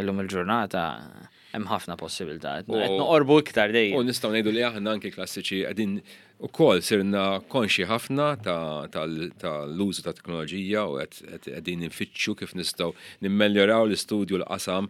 Illum il-ġurnata hemm ħafna possibilità. Qed U- noqorbu iktar U dejjem. nistgħu ngħidu li aħna anki klassiċi qegħdin ukoll sirna konxi ħafna ta' tal- tal-użu ta' teknoloġija u qed qed- qegħdin nfittxu kif nistgħu nimmeljoraw l-istudju l-qasam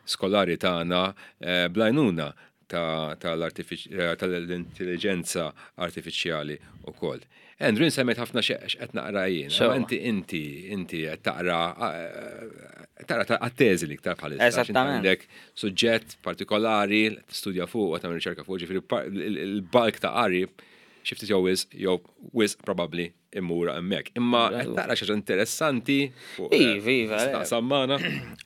skolari tagħna eh, bl-għajnuna ta' tal-artifiċ- eh, tal-intelligenza artifiċjali ukoll. Andrew, semmejt ħafna x'qed naqra jien. So. Imma Inti inti inti qed taqra eh, taqra ta' għat-teżi li iktar bħalissa. għax inti Eżattament. Għandek suġġett partikolari, tistudja fuq u tagħmel riċerka fuq, ġifieri par- il- il-bulk ta' qari xi ftit jew wisq jew wisq probabbli immur hemmhekk. Imma qed taqra xi ħaġa interessanti fuq eh, Iva, iva, eh. taqsam magħna.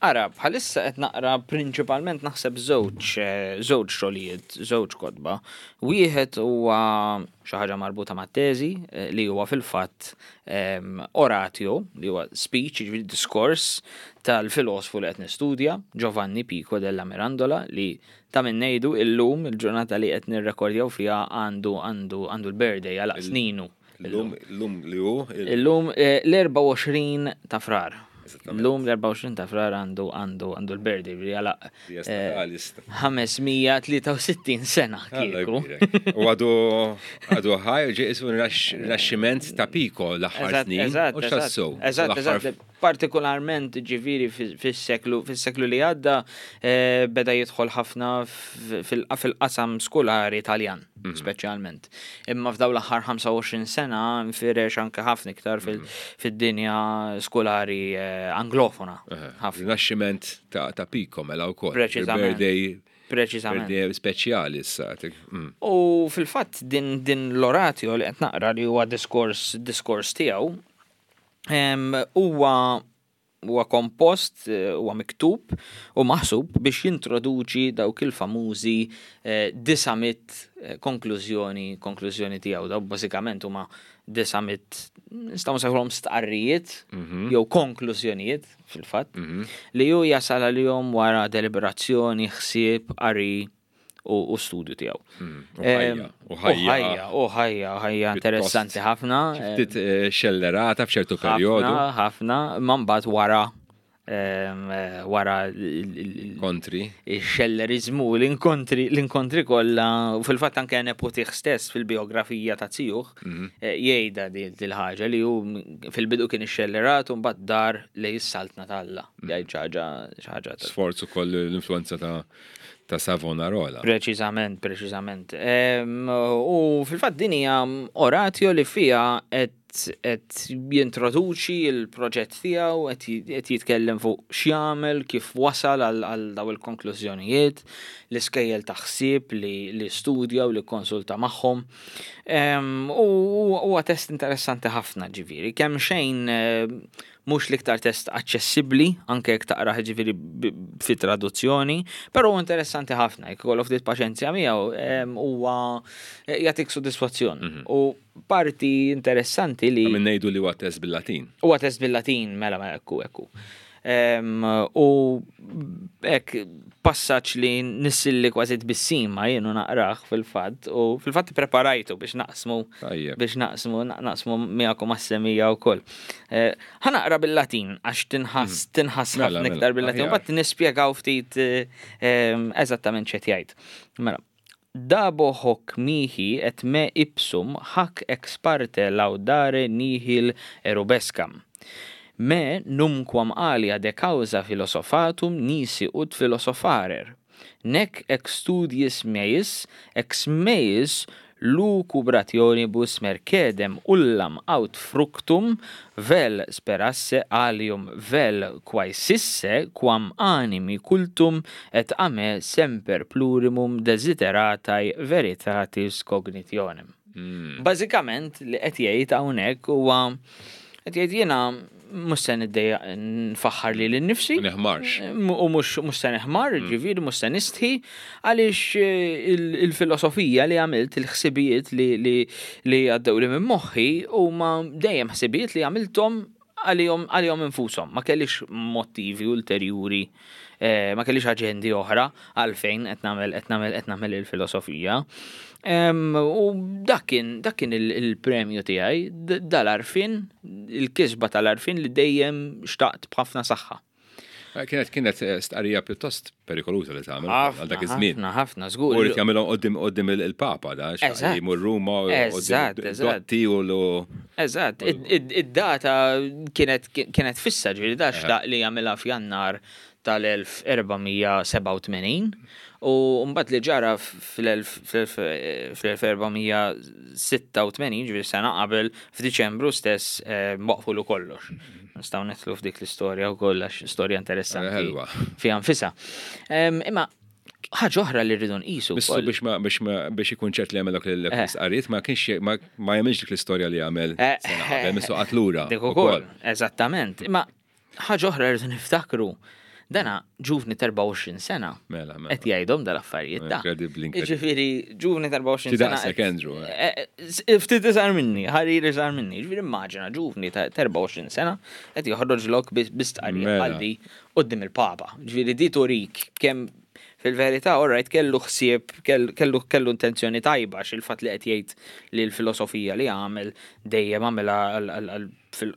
Ara, bħalissa qed naqra prinċipalment naħseb żewġ eh, żewġ xogħlijiet, żewġ kotba. Wieħed huwa xi ħaġa marbuta mat-teżi eh, li huwa fil-fatt em, oratio, li huwa speech, jiġifieri diskors tal-filosfu li qed nistudja, Giovanni Pico della Mirandola, li ta' min ngħidu illum il-ġurnata li qed nirrekordjaw fiha għandu għandu għandu l-birthday għal sninu. Illum illum li hu il- Illum eh, l-erbgħa u għoxrin ta' Frar. Eżattament. Illum l-erbgħa u għoxrin ta' Frar għandu għandu għandu l-birthday li għalaq Dies eh, natalis. ħames mija tlieta u sittin sena Alla kieku. jbierek. U għadu għadu ħaj, ġie isu rinaxximent ta' Pico l-aħħar Eżatt, snin. eżatt, U eżatt. x'tassew. Eżatt, L-aħħar eżatt. Partikolarment ġifieri fis-seklu fis-seklu li għadda eh, beda jidħol ħafna fil-qasam skolari Italjan, mhm. speċjalment. Imma f'daw l-aħħar ħamsa u għoxrin sena nfirex anke ħafna iktar mhm. fid-dinja skolari eh, anglofona. Rinaxximent ta' Pico mela wkoll. Preċiżament. Preċiżament. Speċjali issa. Mm. U fil-fatt din, din l-oratio li qed naqra, li huwa diskors diskors tiegħu, huwa huwa kompost, eh, huwa miktub u maħsub biex jintroduċi dawk il-famużi eh, disa' mitt eh, konklużjoni konklużjoni tiegħu. Daw bażikament huma disa' mitt, nistgħu nsejħulhom stqarrijiet mhm. jew konklużjonijiet fil-fatt mhm. li hu jasal għalihom wara deliberazzjoni, ħsieb, qari u studju tiegħu. Mm, u ħajja. U ħajja, ħajja interessanti ħafna. Ftit eh, xellerata f'ċertu perjodu. Ħafna, ma mbagħad wara eh, wara kontri. Il-xellerizmu, l-inkontri, l-inkontri kollha, u fil-fatt anke nepotih stess fil-biografija ta' zijuh mhm. eh, jgħidha dil-ħaġa li hu fil-bidu kien ixxellerat u mbagħad dar lejn is-saltna t'Alla. Mhm. Jgħid ħaġa ħaġa. Sforz ukoll l-influenza ta' ta' Savonarola. Preċiżament, preċiżament. U fil-fatt din hija oratio li fiha qed jintroduċi il-proġett tiegħu, qed jitkellem fuq x'jagħmel, kif wasal għal daw il-konklużjonijiet, l-iskejjel ta' ħsieb li, li studja u li konsulta magħhom. U huwa test interessanti ħafna ġifieri, kemm xejn mhux l-iktar test aċċessibbli, anke jekk taqrah ġifieri fi traduzzjoni, però interessanti ħafna, jekk ikollok ftit paċenzja miegħu huwa jagħtik sodisfazzjon. Mhm. U parti interessanti li. Min ngħidu li huwa test bil-Latin. Huwa test bil-Latin, mela mela ekku ekku. U hekk passaġġ li nissilli kważi tbissima jienu naqrah fil-fatt, u fil-fatt preparajtu biex naqsmu biex naqsmu naqsmu miegħekom għas-semija wkoll. Eh, ħa naqra bil-Latin għax tinħass mm. tinħass mela, ħafna mela, iktar bil-Latin, mbagħad nispjegaw ftit eh, eżattament x'qed jgħid. Mela, "Dabo hoc mihi et me ipsum hac ex parte laudare nihil erubescam. Me numquam alia de causa philosophatum nisi ut philosopharer. Nec ex studiis meis, ex meis lucubrationibus mercedem ullam aut fructum vel sperasse alium vel quaesisse quam animi cultum et a me semper plurimum desideratae veritatis cognitionem." Mm. Bażikament li qed jgħid hawnhekk huwa qed jgħid jiena mhux se niddejjaq nfaħħar lili nnifsi. Neħmarx. U mhux mhux se neħmar, mm. ġifieri mhux se nistħi, għaliex eh, il-filosofija li għamilt, il-ħsibijiet li li għaddew li minn moħħi huma dejjem ħsibijiet li għamilthom għalihom għalihom infushom. Ma kellix motivi ulterjuri, eh, ma kellix aġendi oħra għalfejn qed nagħmel qed nagħmel qed nagħmel il-filosofija. U dak kien dak kien il-premju tiegħi, dal-għarfien, il-kisba tal-għarfien li dejjem xtaqt b'ħafna saħħa. Eh, kienet kienet eh, stqarrija pjuttost perikoluża li tagħmel għal dak iż-żmien. Ħafna, ħafna, żgur. U rid jagħmilhom qudiem qudiem il-Papa da, jmur Ruma u Eżatt, eżatt. U l Eżatt, id-data kienet kienet fissa, ġifieri da xtaq li jagħmilha f'Jannar tal-elf erba' mija sebgħa u tmenin u mbagħad li ġara fl-elf erba' mija sitta u tmenin, ġifieri sena qabel, f'Diċembru stess, eh, waqfulu kollox. Nistgħu nidħlu f'dik l-istorja wkoll għax storja interessanti fiha nfisha. Imma ħaġa oħra li rridu nqisu. Bissu biex ma biex ma biex ikun ċert li għamel dak l-istqarrijiet ma kienx ma jagħmilx dik l-istorja li għamel eh, sena qabel, missu qatlura. Dik ukoll, eżattament. Imma ħaġa oħra rridu niftakru. Dana ġuvni ta' erbgħa u għoxrin sena. Mela, mela. Qed jgħidhom dal-affarijiet ta' Incredibbli, Ġifieri ġuvni ta' erbgħa u għoxrin sena. Daqsek Andrew. Eh. Eh, ftit iżgħar minni, ħarir iżgħar minni. Ġifieri immaġina ġuvni ta' erbgħa u għoxrin sena qed joħroġlok bi stqarrija mela. bħal quddiem il-Papa. Ġifieri di turik kemm fil-verità, all right, kellu ħsieb, kellu kellu intenzjoni tajba, xil-fatt li qed jgħid li l-filosofija li għamel dejjem għamilha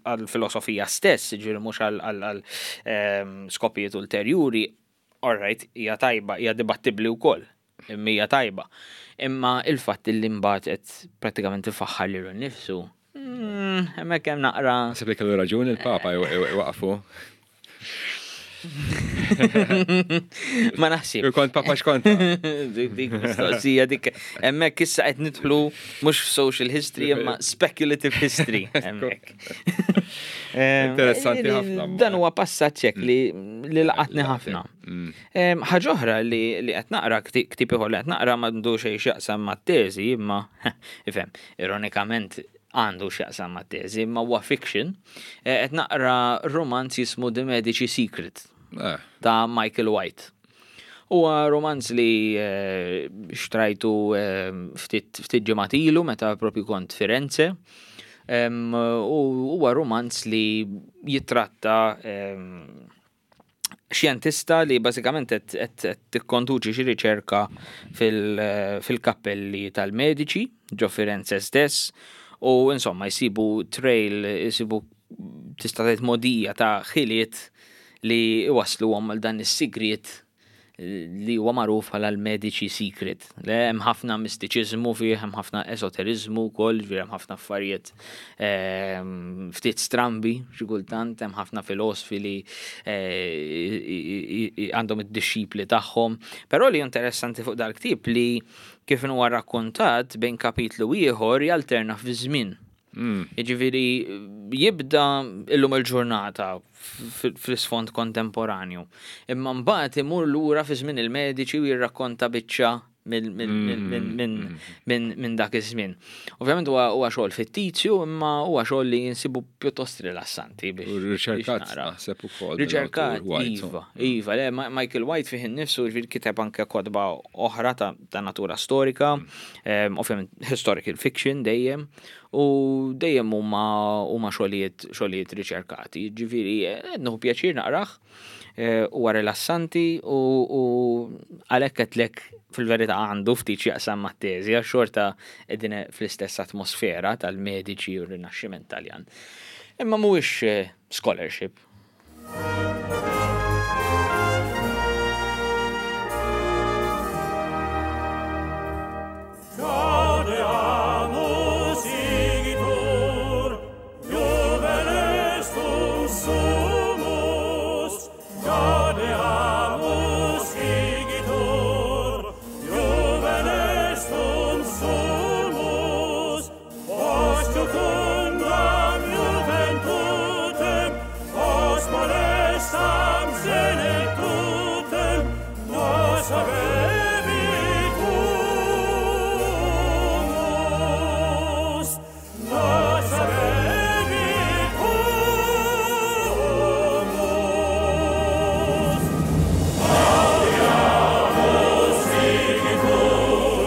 għal-filosofija stess, ġifieri mhux għal ehm, skopijiet ulterjuri, all right, hija tajba, hija dibattibbli wkoll, imma hija tajba. Imma il-fatt li mbagħad qed prattikament ifaħħar lilu nnifsu, mm, Mm, hemmhekk hemm naqra. Naħseb li kellu raġun il-Papa waqfu. Ma naħsib. Kont Papa x'kont. Dik mistoqsija dik hemmhekk issa qed nidħlu mhux f'social history imma speculative history hemmhekk. Interessanti ħafna. Dan huwa passaġġ hekk li li laqatni ħafna. Mm. Ħaġa oħra li qed naqra ktieb ieħor li qed naqra m'għandu xejn x'jaqsam mat-teżi imma ifhem, ironikament għandu x'jaqsam mat-teżi imma huwa fiction. Qed naqra romanz jismu The Medici Secret Eh. ta' Michael White. Huwa romanz li eh, xtrajtu eh, ftit ftit ġimgħat ilu meta propju kont Firenze. Em, U huwa romanz li jitratta em, xjentista li bażikament qed qed tikkonduċi xi riċerka fil- fil-kappelli tal-mediċi ġo Firenze stess u insomma jsibu trail, jsibu tista' tgħid modija ta' ħiliet li iwasluhom għal dan is-sigriet li huwa magħruf bħala l-Medici Secret. Le hemm ħafna mistiċiżmu fih, hemm ħafna esoteriżmu wkoll, ġifieri hemm ħafna affarijiet ehm, ftit strambi xi kultant, hemm ħafna filosfi li eh, għandhom id-dixxipli tagħhom. Però li interessanti fuq dal-ktieb li kif huwa rakkontat bejn kapitlu ieħor jalterna fi żmien. Mm. Jiġifieri jibda illum il-ġurnata fl-isfond kontemporanju. Imma mbagħad imur lura fi żmien il-mediċi u jirrakkonta biċċa minn dak iż-żmien. Ovvjament huwa huwa xogħol fittizju, imma huwa xogħol li jinsibu pjuttost rilassanti biex. Riċerkat naħseb ukoll. Riċerkat, iva, iva, le, Michael White fih innifsu ġifieri kiteb anke kotba oħra ta' natura storika, mm. ovvjament historical fiction dejjem, u dejjem huma huma xogħlijiet xogħlijiet riċerkati. Ġifieri nieħu pjaċir naqrah, huwa rilassanti u għalhekk qedlek fil-verità għandu ftit x'jaqsam mat-teżi għax xorta qegħdin fl-istess atmosfera tal-mediċi u r-Rinaxximent Taljan. Imma mhuwiex scholarship. Gaudeamus igitur, juvenes tum sumus. Gaudeamus igitur, juvenes tum sumus. Post jucundam juventutem, post molestam senectutem, nos habebitumus, nos habebitumus. Gaudeamus igitur,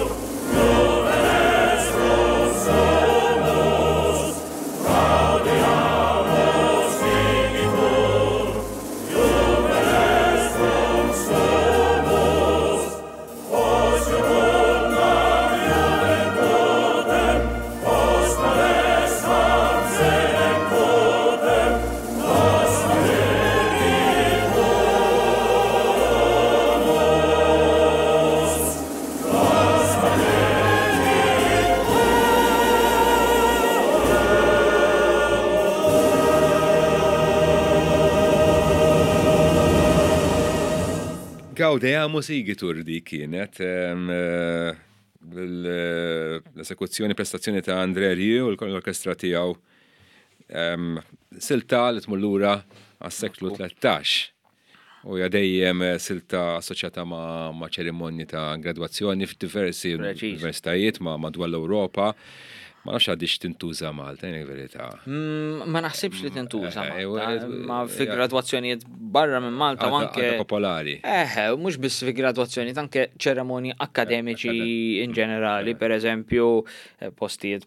juvenes tum sumus. Gaudeamus igitur, juvenes tum sumus. Post jucundam juventutem, post molestam senectutem, nos habebitumus, nos Gaudeamus igitur di kienet em, eh, l- l-esekuzzjoni prestazzjoni ta' André Rieu u l-orkestra tiegħu em, silta li tmur lura għas-seklu tlettax. U hija dejjem silta assoċjata ma', ma' ċerimonji ta' gradwazzjoni f'diversi Preċiż. universitajiet ma' madwar l-Ewropa. Ma nafx għadix tintuża Malta, jien verità. Mm, Ma naħsibx li tintuża Eh, Malta, eh, ma fi eh, gradwazzjonijiet barra minn Malta u Għadha anke għadha popolari. Eh, mhux biss fi gradwazzjonijiet, anke ċeremonji akademiċi in ġenerali, per eżempju, eh, postijiet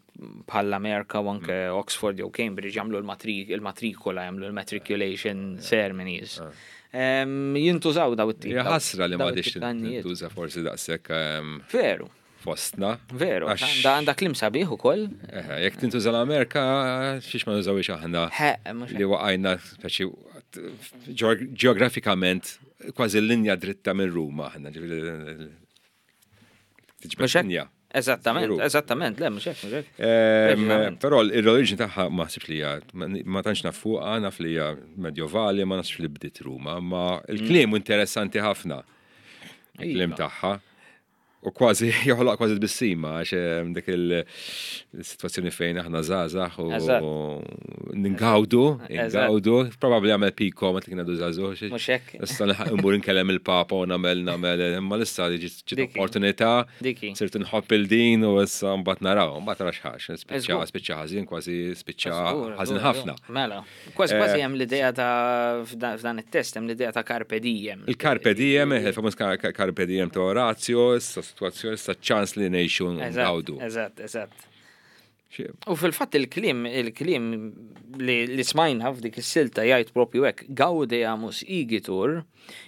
bħall-Amerika u anke Oxford jew Cambridge jagħmlu l-matrikola, jagħmlu l-matriculation ceremonies. Em, Jintużaw daw it-tip. Hija ħasra li daw m'għadix it-tip ta' annijiet. tintuża forsi daqshekk em, Veru, fostna. veru. Għax- Għanda għandha kliem sabiħ ukoll. Eh, Jekk tintuża l-Amerika, xiex ma nużawix aħna He, mhux li waqajna speċi ġeografikament kważi l-linja dritta minn Ruma aħna, ġifieri tiġbed Mhux hekk? linja. Eżattament, Veru. eżattament, le, mhux hekk, mhux hekk. Ehm, Preċiżament. Però l-origini tagħha ma naħsibx li hija, ma tantx naf fuqha, naf li hija medjovali, ma nafx li bdiet Ruma, ma il-kliem interessanti ħafna. Il-kliem Iva. tagħha. U kważi joħloq kważi tbissima għax ehm, dik il-sitwazzjoni fejn aħna żgħażagħ u Eżatt. ningawdu, Eżatt. ingawdu, probabbli għamel piko meta kien għadu żagħżugħ. Mhux hekk. Issa nilħaq immur inkellem il-Papa u nagħmel nagħmel imma issa ġiet ġiet Diki. opportunità Diki. sirt nħobb il-din u issa mbagħad naraw, mbagħad tara x'ħax, spiċċa Żgur. spiċċa ħażin kważi spiċċa Żgur, ħażin żgur, ħafna. żgur. Mela, kważi kważi Eh, hemm l-idea ta' f'dan f'dan it-test hemm l-idea ta' carpe diem. Il-carpe diem, il-famuż carpe diem ta' Orazio, issa situazzjoni, issa ċans li ngħixu Eżatt, ngawdu. Eżatt, eżatt. Xi- U fil-fatt il-kliem, il-kliem li, li smajna f'dik is-silta jgħid propju hekk, gaudeamus igitur,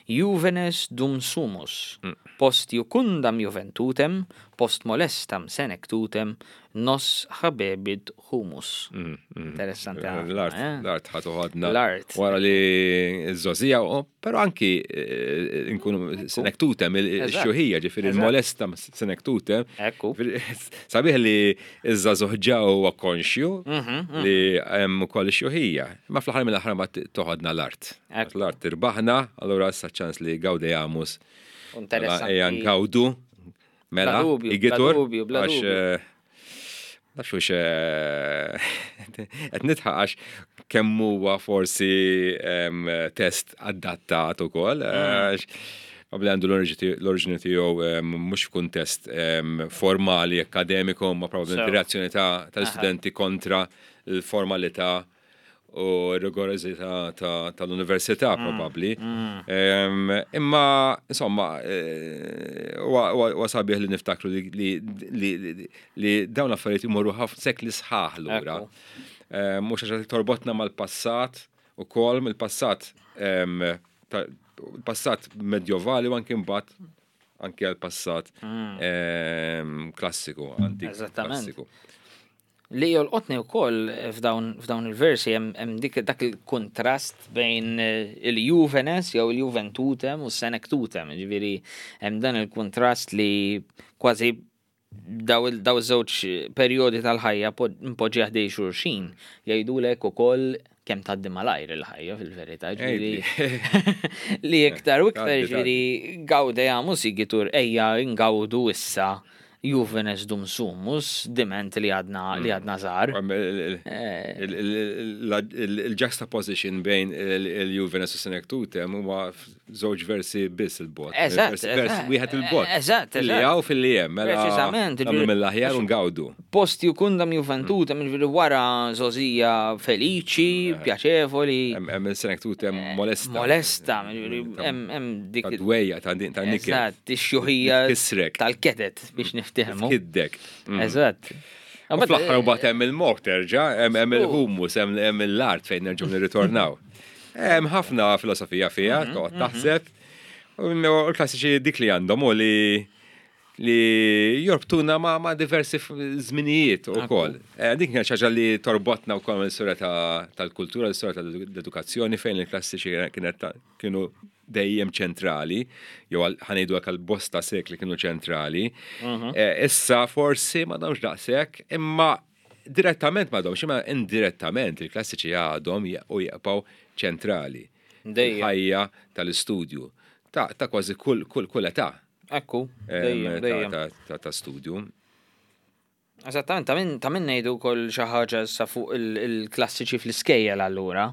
juvenes dum sumus, post jucundam juventutem, post molestam senectutem, nos habebit humus. Interessanti ħafna, L-art, eh? l-art ħa toħodna. L-art. Wara li ż-żgħożija, pero anki eh, nkunu senectutem, Eżatt. il-xjuħija, ġifieri Eżatt. il-molesta senectutem. Ekku. Sabiħ li iż-żagħżugħ ġa huwa konxju Mhm, li hemm ukoll ix-xjuħija. Ma fl-aħħar mill-aħħar ma toħodna l-art. Ekku. L-art tirbaħna, allura issa ċans li gaudeamus. Mela, Interessanti. Ejja ngawdu. Mela, Bla dubju, bla igitur, dubju, bla għax, dubju. eh, Nafx hux eh, qed nidħaq għax kemm huwa forsi em, test adattat ukoll. Mm. għax Probabbli għandu l-oriġini tiegħu em, mhux f'kuntest em, formali akkademiku, ma probabbilment So. reazzjoni ta' tal-istudenti kontra l-formalità u r-rigorożità ta- tal-università Mm. probabbli. Em, Imma, insomma, eh, huwa huwa- huwa sabiħ li niftakru li- li li- li- li dawn l-affarijiet imorru ħafna sekli sħaħ lura. Ekku. Em, Mhux għax torbotna mal-passat u kol mill-passat em, ta- il-passat medjovali u anki mbagħad anki għal-passat em, klassiku, antik Eżattament. klassiku. Li jolqotni wkoll f'dawn f'dawn il-versi hemm hemm dik dak il-kontrast bejn eh, il-juvenes jew il-juventutem u s-senectutem, ġifieri hemm dan il-kontrast li kważi daw il- daw iż-żewġ perjodi tal-ħajja po- mpoġġi ħdej xulxin jgħidulek ukoll kemm tgħaddi malajr il-ħajja fil-verità, ġifieri li iktar u iktar Tgħaddi, ġifieri gaudeamus igitur ejja ngawdu issa juvenes dum sumus diment li għadna li għadna żgħar. Eh. Il-juxtaposition bejn il-Juvenes u Senectutem huma żewġ versi biss il-bot. Eżatt, Vers eżatt. wieħed il-bot. Eżatt, Li eżatt. hawn fil-li hemm. Mela Preċiżament, nagħmlu ġifieri- mill-aħjar u ngawdu. Post jucundam juventutem, ġifieri wara żgħożija feliċi, pjaċevoli, Hemm hemm il-Senectutem molesta. molesta, ġifieri hemm hemm dik Ta' dwejja, ta' din- ta' niket. Eżatt, ix-xjuħija Tkissrek. tal-ketet biex niftehmu. Kiddek. Mm. Eżatt. U fl-aħħar u bat hemm il-mort terġa', hemm hemm il-humus, hemm hemm l-art fejn nerġgħu nirritornaw. Hemm ħafna filosofija fiha, toqgħod taħseb. U l-klassiċi dik li għandhom u li li jorbtuna ma, ma diversi f- żminijiet ukoll. Eh, Dik kienet xi ħaġa li torbotna wkoll mill-istorja ta- tal-kultura, l-istorja tal-edukazzjoni fejn il-klassiċi kienet ta- kienu dejjem ċentrali, jew għal- ħanejdu għal bosta sekli kienu ċentrali. Eh, Issa forsi ma domx daqshekk, imma direttament ma domx, imma indirettament il-klassiċi għadhom je- u jibqgħu ċentrali. Dejjem. Ħajja tal-istudju. Ta' ta' kważi kull kull kull età Ekku, em, dejjem, ta' dejjem. ta' ta' ta' studju. Eżattament, ta' min ta' min ngħidu wkoll xi ħaġa issa fuq il- il-klassiċi fl-iskejjel allura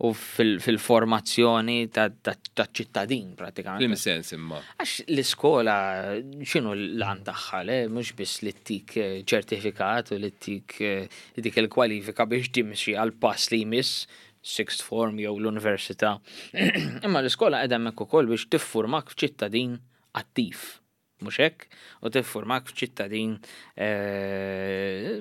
u fil- fil-formazzjoni ta' ta- ta' ċittadin pratikament. Flim sens imma. Għax l-iskola x'inhu l-għan tagħha le mhux biss li ttik eh, ċertifikat u li ttik eh, dik il-kwalifika biex timxi għal pass li jmiss sixth form jew l-università. Imma l-iskola qiegħda hemmhekk ukoll biex tiffurmak f'ċittadin attiv. Mhux hekk? U tiffurmak f'ċittadin eh,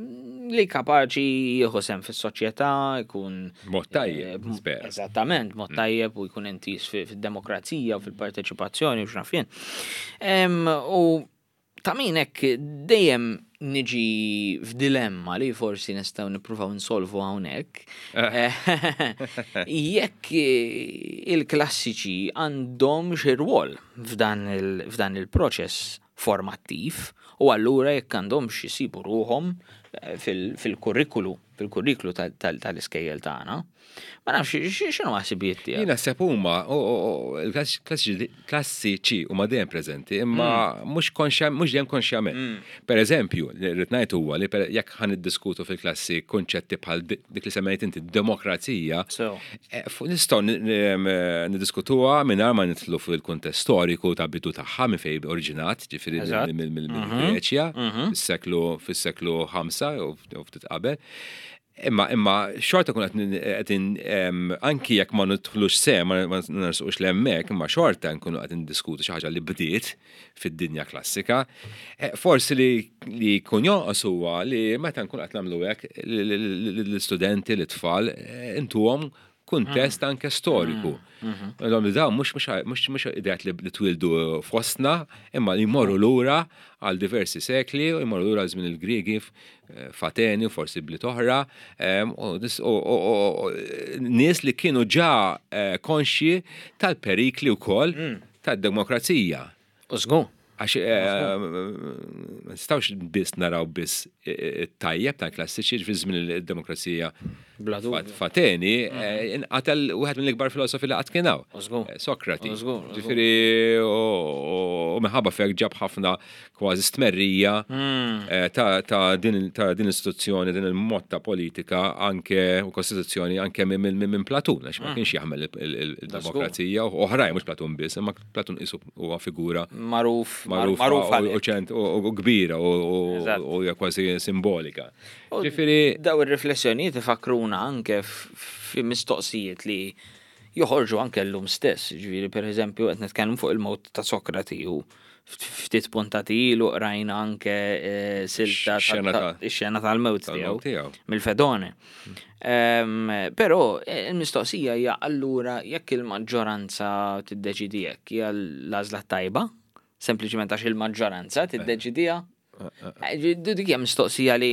li kapaċi jieħu sehem fis-soċjetà, jkun Mod tajjeb, eh, spera. Eżattament, mod tajjeb u jkun intis fi- fid-demokrazija u fil-parteċipazzjoni u x'naf jien. Em, U ta' min hekk dejjem niġi f'dilemma li forsi nistgħu nippruvaw insolvu hawnhekk. Eh, Jekk eh, il-klassiċi għandhom xi rwol f'dan il- f'dan il-proċess Formattiv u allura jekk għandhomx jisibu ruħhom eh, fil-kurrikulu, fil-kurrikulu tal-iskejjel tagħna. Ma nafx x'inhu ħsibijiet tiegħek. Jiena naħseb huma il-klassiċi huma dejjem preżenti, imma mm. mhux konxja mhux dejjem konxjament. Mm. Per eżempju, rrid ngħid huwa li jekk ħa niddiskutu fil-klassi kunċetti bħal dik li semmejt inti, demokrazija, eh, nistgħu niddiskutuha mingħajr ma nidħlu fil-kuntest storiku ta' bidu tagħha, minn fejn oriġinat, ġifieri mill-Greċja, mhm. fis-seklu fis-seklu ħamsa u ftit qabel. Imma imma xorta kun qed anki jekk ma nidħlux se ma nersqux l'hemmhekk, imma xorta nkunu qed ndiskutu xi ħaġa li bdiet fid-dinja klassika. Eh, forsi li li jkun jonqos huwa li meta nkun qed nagħmlu hekk l-istudenti, l-tfal, eh, intuhom kuntest anke storiku. Għandhom li dawn mhux mhux mhux ideat li twildu fostna, imma li jmorru lura għal diversi sekli u jmorru lura żmien il-Griegi f'Ateni u forsi bliet oħra, u nies li kienu ġa eh, konxji tal-perikli wkoll tad-demokrazija. U żgur. Għax eh, ma nistgħux biss naraw biss it-tajjeb tal-klassiċi. Fi żmien il-demokrazija Bla dubju. f'Ateni eh, inqatel wieħed mill-ikbar filosofi li qatt kien hawn. U żgur. Eh, Sokrati. U żgur, u żgur. Ġifieri u minħabba fek ġab ħafna kważi stmerrija eh, ta' ta' din ta' din l-istituzzjoni, din il-mod ta' politika anke u kostituzzjoni anke minn minn- minn Platun, għax ma kienx jaħmel il-demokrazija u oħrajn, mhux Platun biss, imma Platun qisu huwa figura Magħruf, magħrufa magħruf u- u għalhekk. ċent u u kbira u- u Eżatt. u hija kważi simbolika. U Ġifieri daw ir-riflessjonijiet ifakruna anke f- fi mistoqsijiet li joħorġu anke llum stess. Ġifieri, per eżempju, qed nitkellmu fuq il-mewt ta' Sokrati u ftit puntati ilu qrajna anke eh, silta Xena ta' ix-xena tal-mewt tiegħu tal-mewt tiegħu. mill-Fedone. Ehm, Però eh, il-mistoqsija hija allura jekk il-maġġoranza tiddeċidi hekk, hija l-għażla tajba? Sempliċement għax il-maġġoranza tiddeċidija? Eh, Dik hija mistoqsija li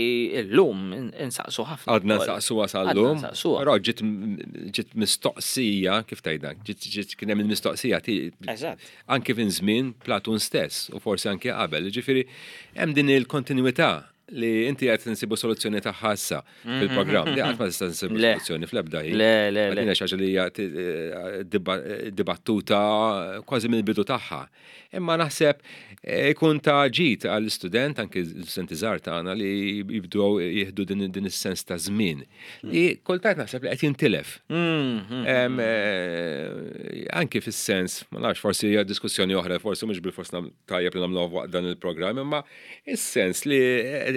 llum insaqsu ħafna. Għadna ukoll. nsaqsuha sal-lum. Għadna nsaqsuha. Però ġiet ġiet mistoqsija, kif tgħidha, ġiet ġiet kien hemm il-mistoqsija ti- Eżatt. anke fin żmien Platun stess u forsi anke qabel. Ġifieri hemm din il-kontinuità li inti qed nsibu soluzzjoni tagħha issa fil-programm. Li qatt ma tista' nsibu Le. soluzzjoni fl-ebda ħin. Le, le, le. Din hija xi ħaġa li hija ti- eh, diba- dibattuta kważi mill-bidu tagħha. Imma naħseb eh, ikun ta' ġid għall-istudent, anke l-istudenti żgħar tagħna, li jibdew jieħdu din din is-sens ta' żmien. Li kultant naħseb li qed jintilef. Mhm. Em, eh, Anki fis-sens, ma nafx, forsi hija diskussjoni oħra, forsi mhux bil-fors nam- tajjeb li nagħmluha waqt dan il-programm, imma is-sens li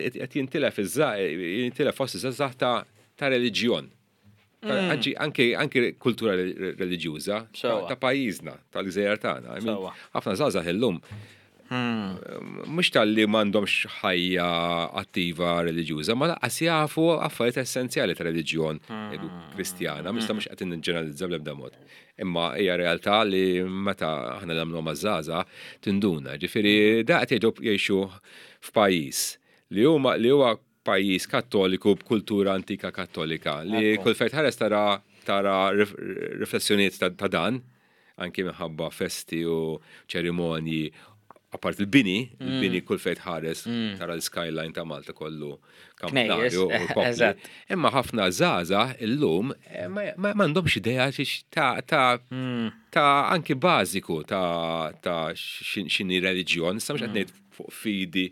qed jintilef iż jintilef fost iż-żgħażagħ ta' ta' reliġjon. Ta' Anki anki anki kultura re- reliġjuża ta' Sewwa. ta' pajjiżna, tal-gżejjer tagħna. I mean, Sewwa. ħafna żgħażagħ illum mhux tal-li m'għandhomx ħajja attiva reliġjuża, ma lanqas jafu affarijiet essenzjali ta' reliġjon ngħidu Kristjana, mista mhux qed niġġeneralizza bl-ebda mod. Imma hija realtà li meta aħna nagħmlu maż-żgħażagħ tinduna. Ġifieri da qed jgħidu jgħixu f'pajjiż li huma li huwa pajjiż Kattoliku b'kultura antika Kattolika li Ekku. kull fejn tħares tara tara rif- riflessjonijiet ta' ta' dan, anki minħabba festi u ċerimonji, apart il-bini, il-bini kull fejn tħares tara l-skyline ta' Malta kollu kampnarju u popli. Eżatt. Imma ħafna żgħażagħ illum eh, ma ma- m'għandhomx idea xiex ta' ta' ta' anki bażiku ta' ta' xin- x'inhi reliġjon, issa mhux qed ngħid fuq fidi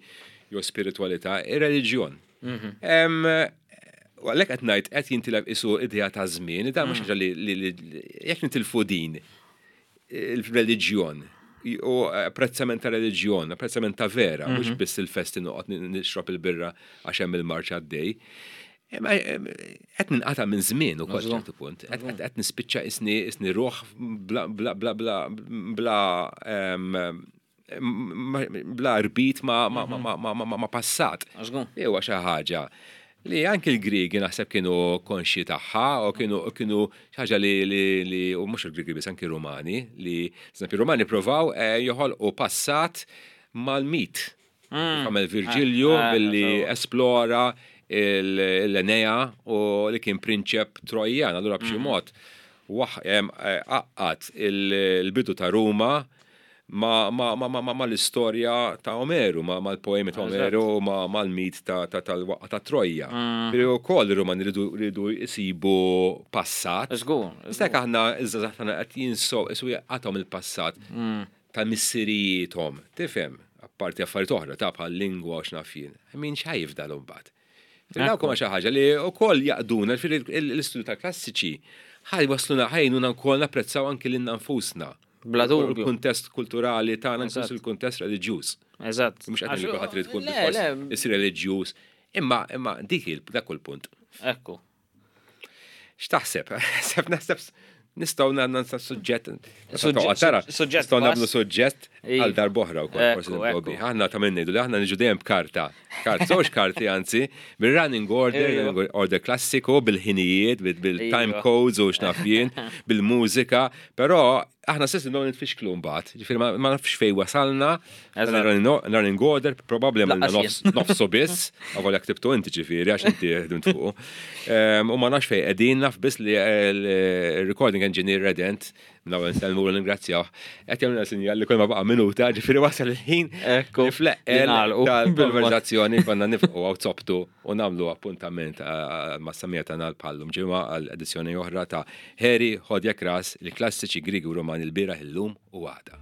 jew spiritualità, ir-reliġjon. Em, U għalhekk qed ngħid qed jintilef isu idea ta' żmien, dan mhux ħaġa li li- li jekk nitilfu din il-reliġjon u apprezzament ta' reliġjon, apprezzament ta' vera, mhux biss il-festi noqgħod nixrob il-birra għax hemm il-marċ għaddej. Imma, em, qed ninqata' minn żmien ukoll ċertu punt. Qed qed- qed nispiċċa isni isni ruħ bla bla bla bla bla em, ma- bla rbit ma ma ma ma ma ma- ma passat. Żgur. Li huwa xi ħaġa li anki l-Griegi naħseb kienu konxji tagħha u kienu kienu xi ħaġa li li li u mhux il-Griegi biss, anki Rumani, li eżempju Rumani provaw eh, joħolqu passat mal-mit. Għamel Virgilju Ah, ah, billi sewwa. esplora l-Enea u li kien prinċep Trojjan, allura b'xi mod waħ- em, eh, għaqqad il-bidu ta' Ruma ma, ma, ma, ma, ma, ma l-istorja ta' Omeru, ma, ma l-poemi ta' Omeru, ma, ma l-mit ta' ta' tal-waqqa ta' Troja. Mm. Pero wkoll ir-Rumani ridu ridu jisibu passat. Żgur. Istek aħna iż-żgħażagħ tagħna qed jinsow isu jaqgħathom il-passat Mm. ta' missirijiethom, tifhem, apparti affarijiet oħra ta' bħal lingwa u x'naf jien. Min x'ħa jifdal imbagħad. Dawk huma xi ħaġa li wkoll jaqduna l-istudju tal-klassiċi ħaj wasluna ħajnuna wkoll napprezzaw anki lilna nfusna. Bla dubju. Il-kuntest kulturali tagħna inkluż Eżatt. il-kuntest reliġjuż. Eżatt. Mhux qed ngħidu kulħadd irid tkun Le, bilfors le, isir reliġjuż. Imma imma dik il dak hu l-punt. Ekku. X'taħseb? Naħseb naħseb nistgħu nagħmlu suġġett. Suġġett- Tara, suġġett nistgħu nagħmlu vast. suġġett Iva. għal darb'oħra wkoll forsi Ekku, nibdew ekku. bih. Aħna ta' minn ngħidu li aħna niġu dejjem b'karta. Karta, żewġ karti anzi, bil-running order, Iva. running order klassiku, bil-ħinijiet, bil- bil-time Iva. codes u x'naf jien, bil-mużika, però aħna stess nibdew nitfixklu mbagħad. Ġifieri ma ma nafx fejn wasalna, Eżatt. running running order, probabbli għamilna Lanqas nofs nofsu biss, għavolja ktibtu inti ġifieri għax inti ħdimt fuqu. Em, U ma nafx fejn qegħdin naf biss li il-recording engineer Redent, minn nsellmu u ningrazzjaw, qed jagħmilna sinjal li kull ma baqa' minuta, ġifieri wasal il-ħin Ekku, li fl-eqqel li nagħlqu tal-konverzazzjoni konna nifqu għaw zobtu u nagħmlu appuntament ma' samija tagħna bħallum ġimgħa għal edizzjoni oħra ta' Harry Ħodja Kras, il-klassiċi Griegi u Romani l-bieraħ illum u għada.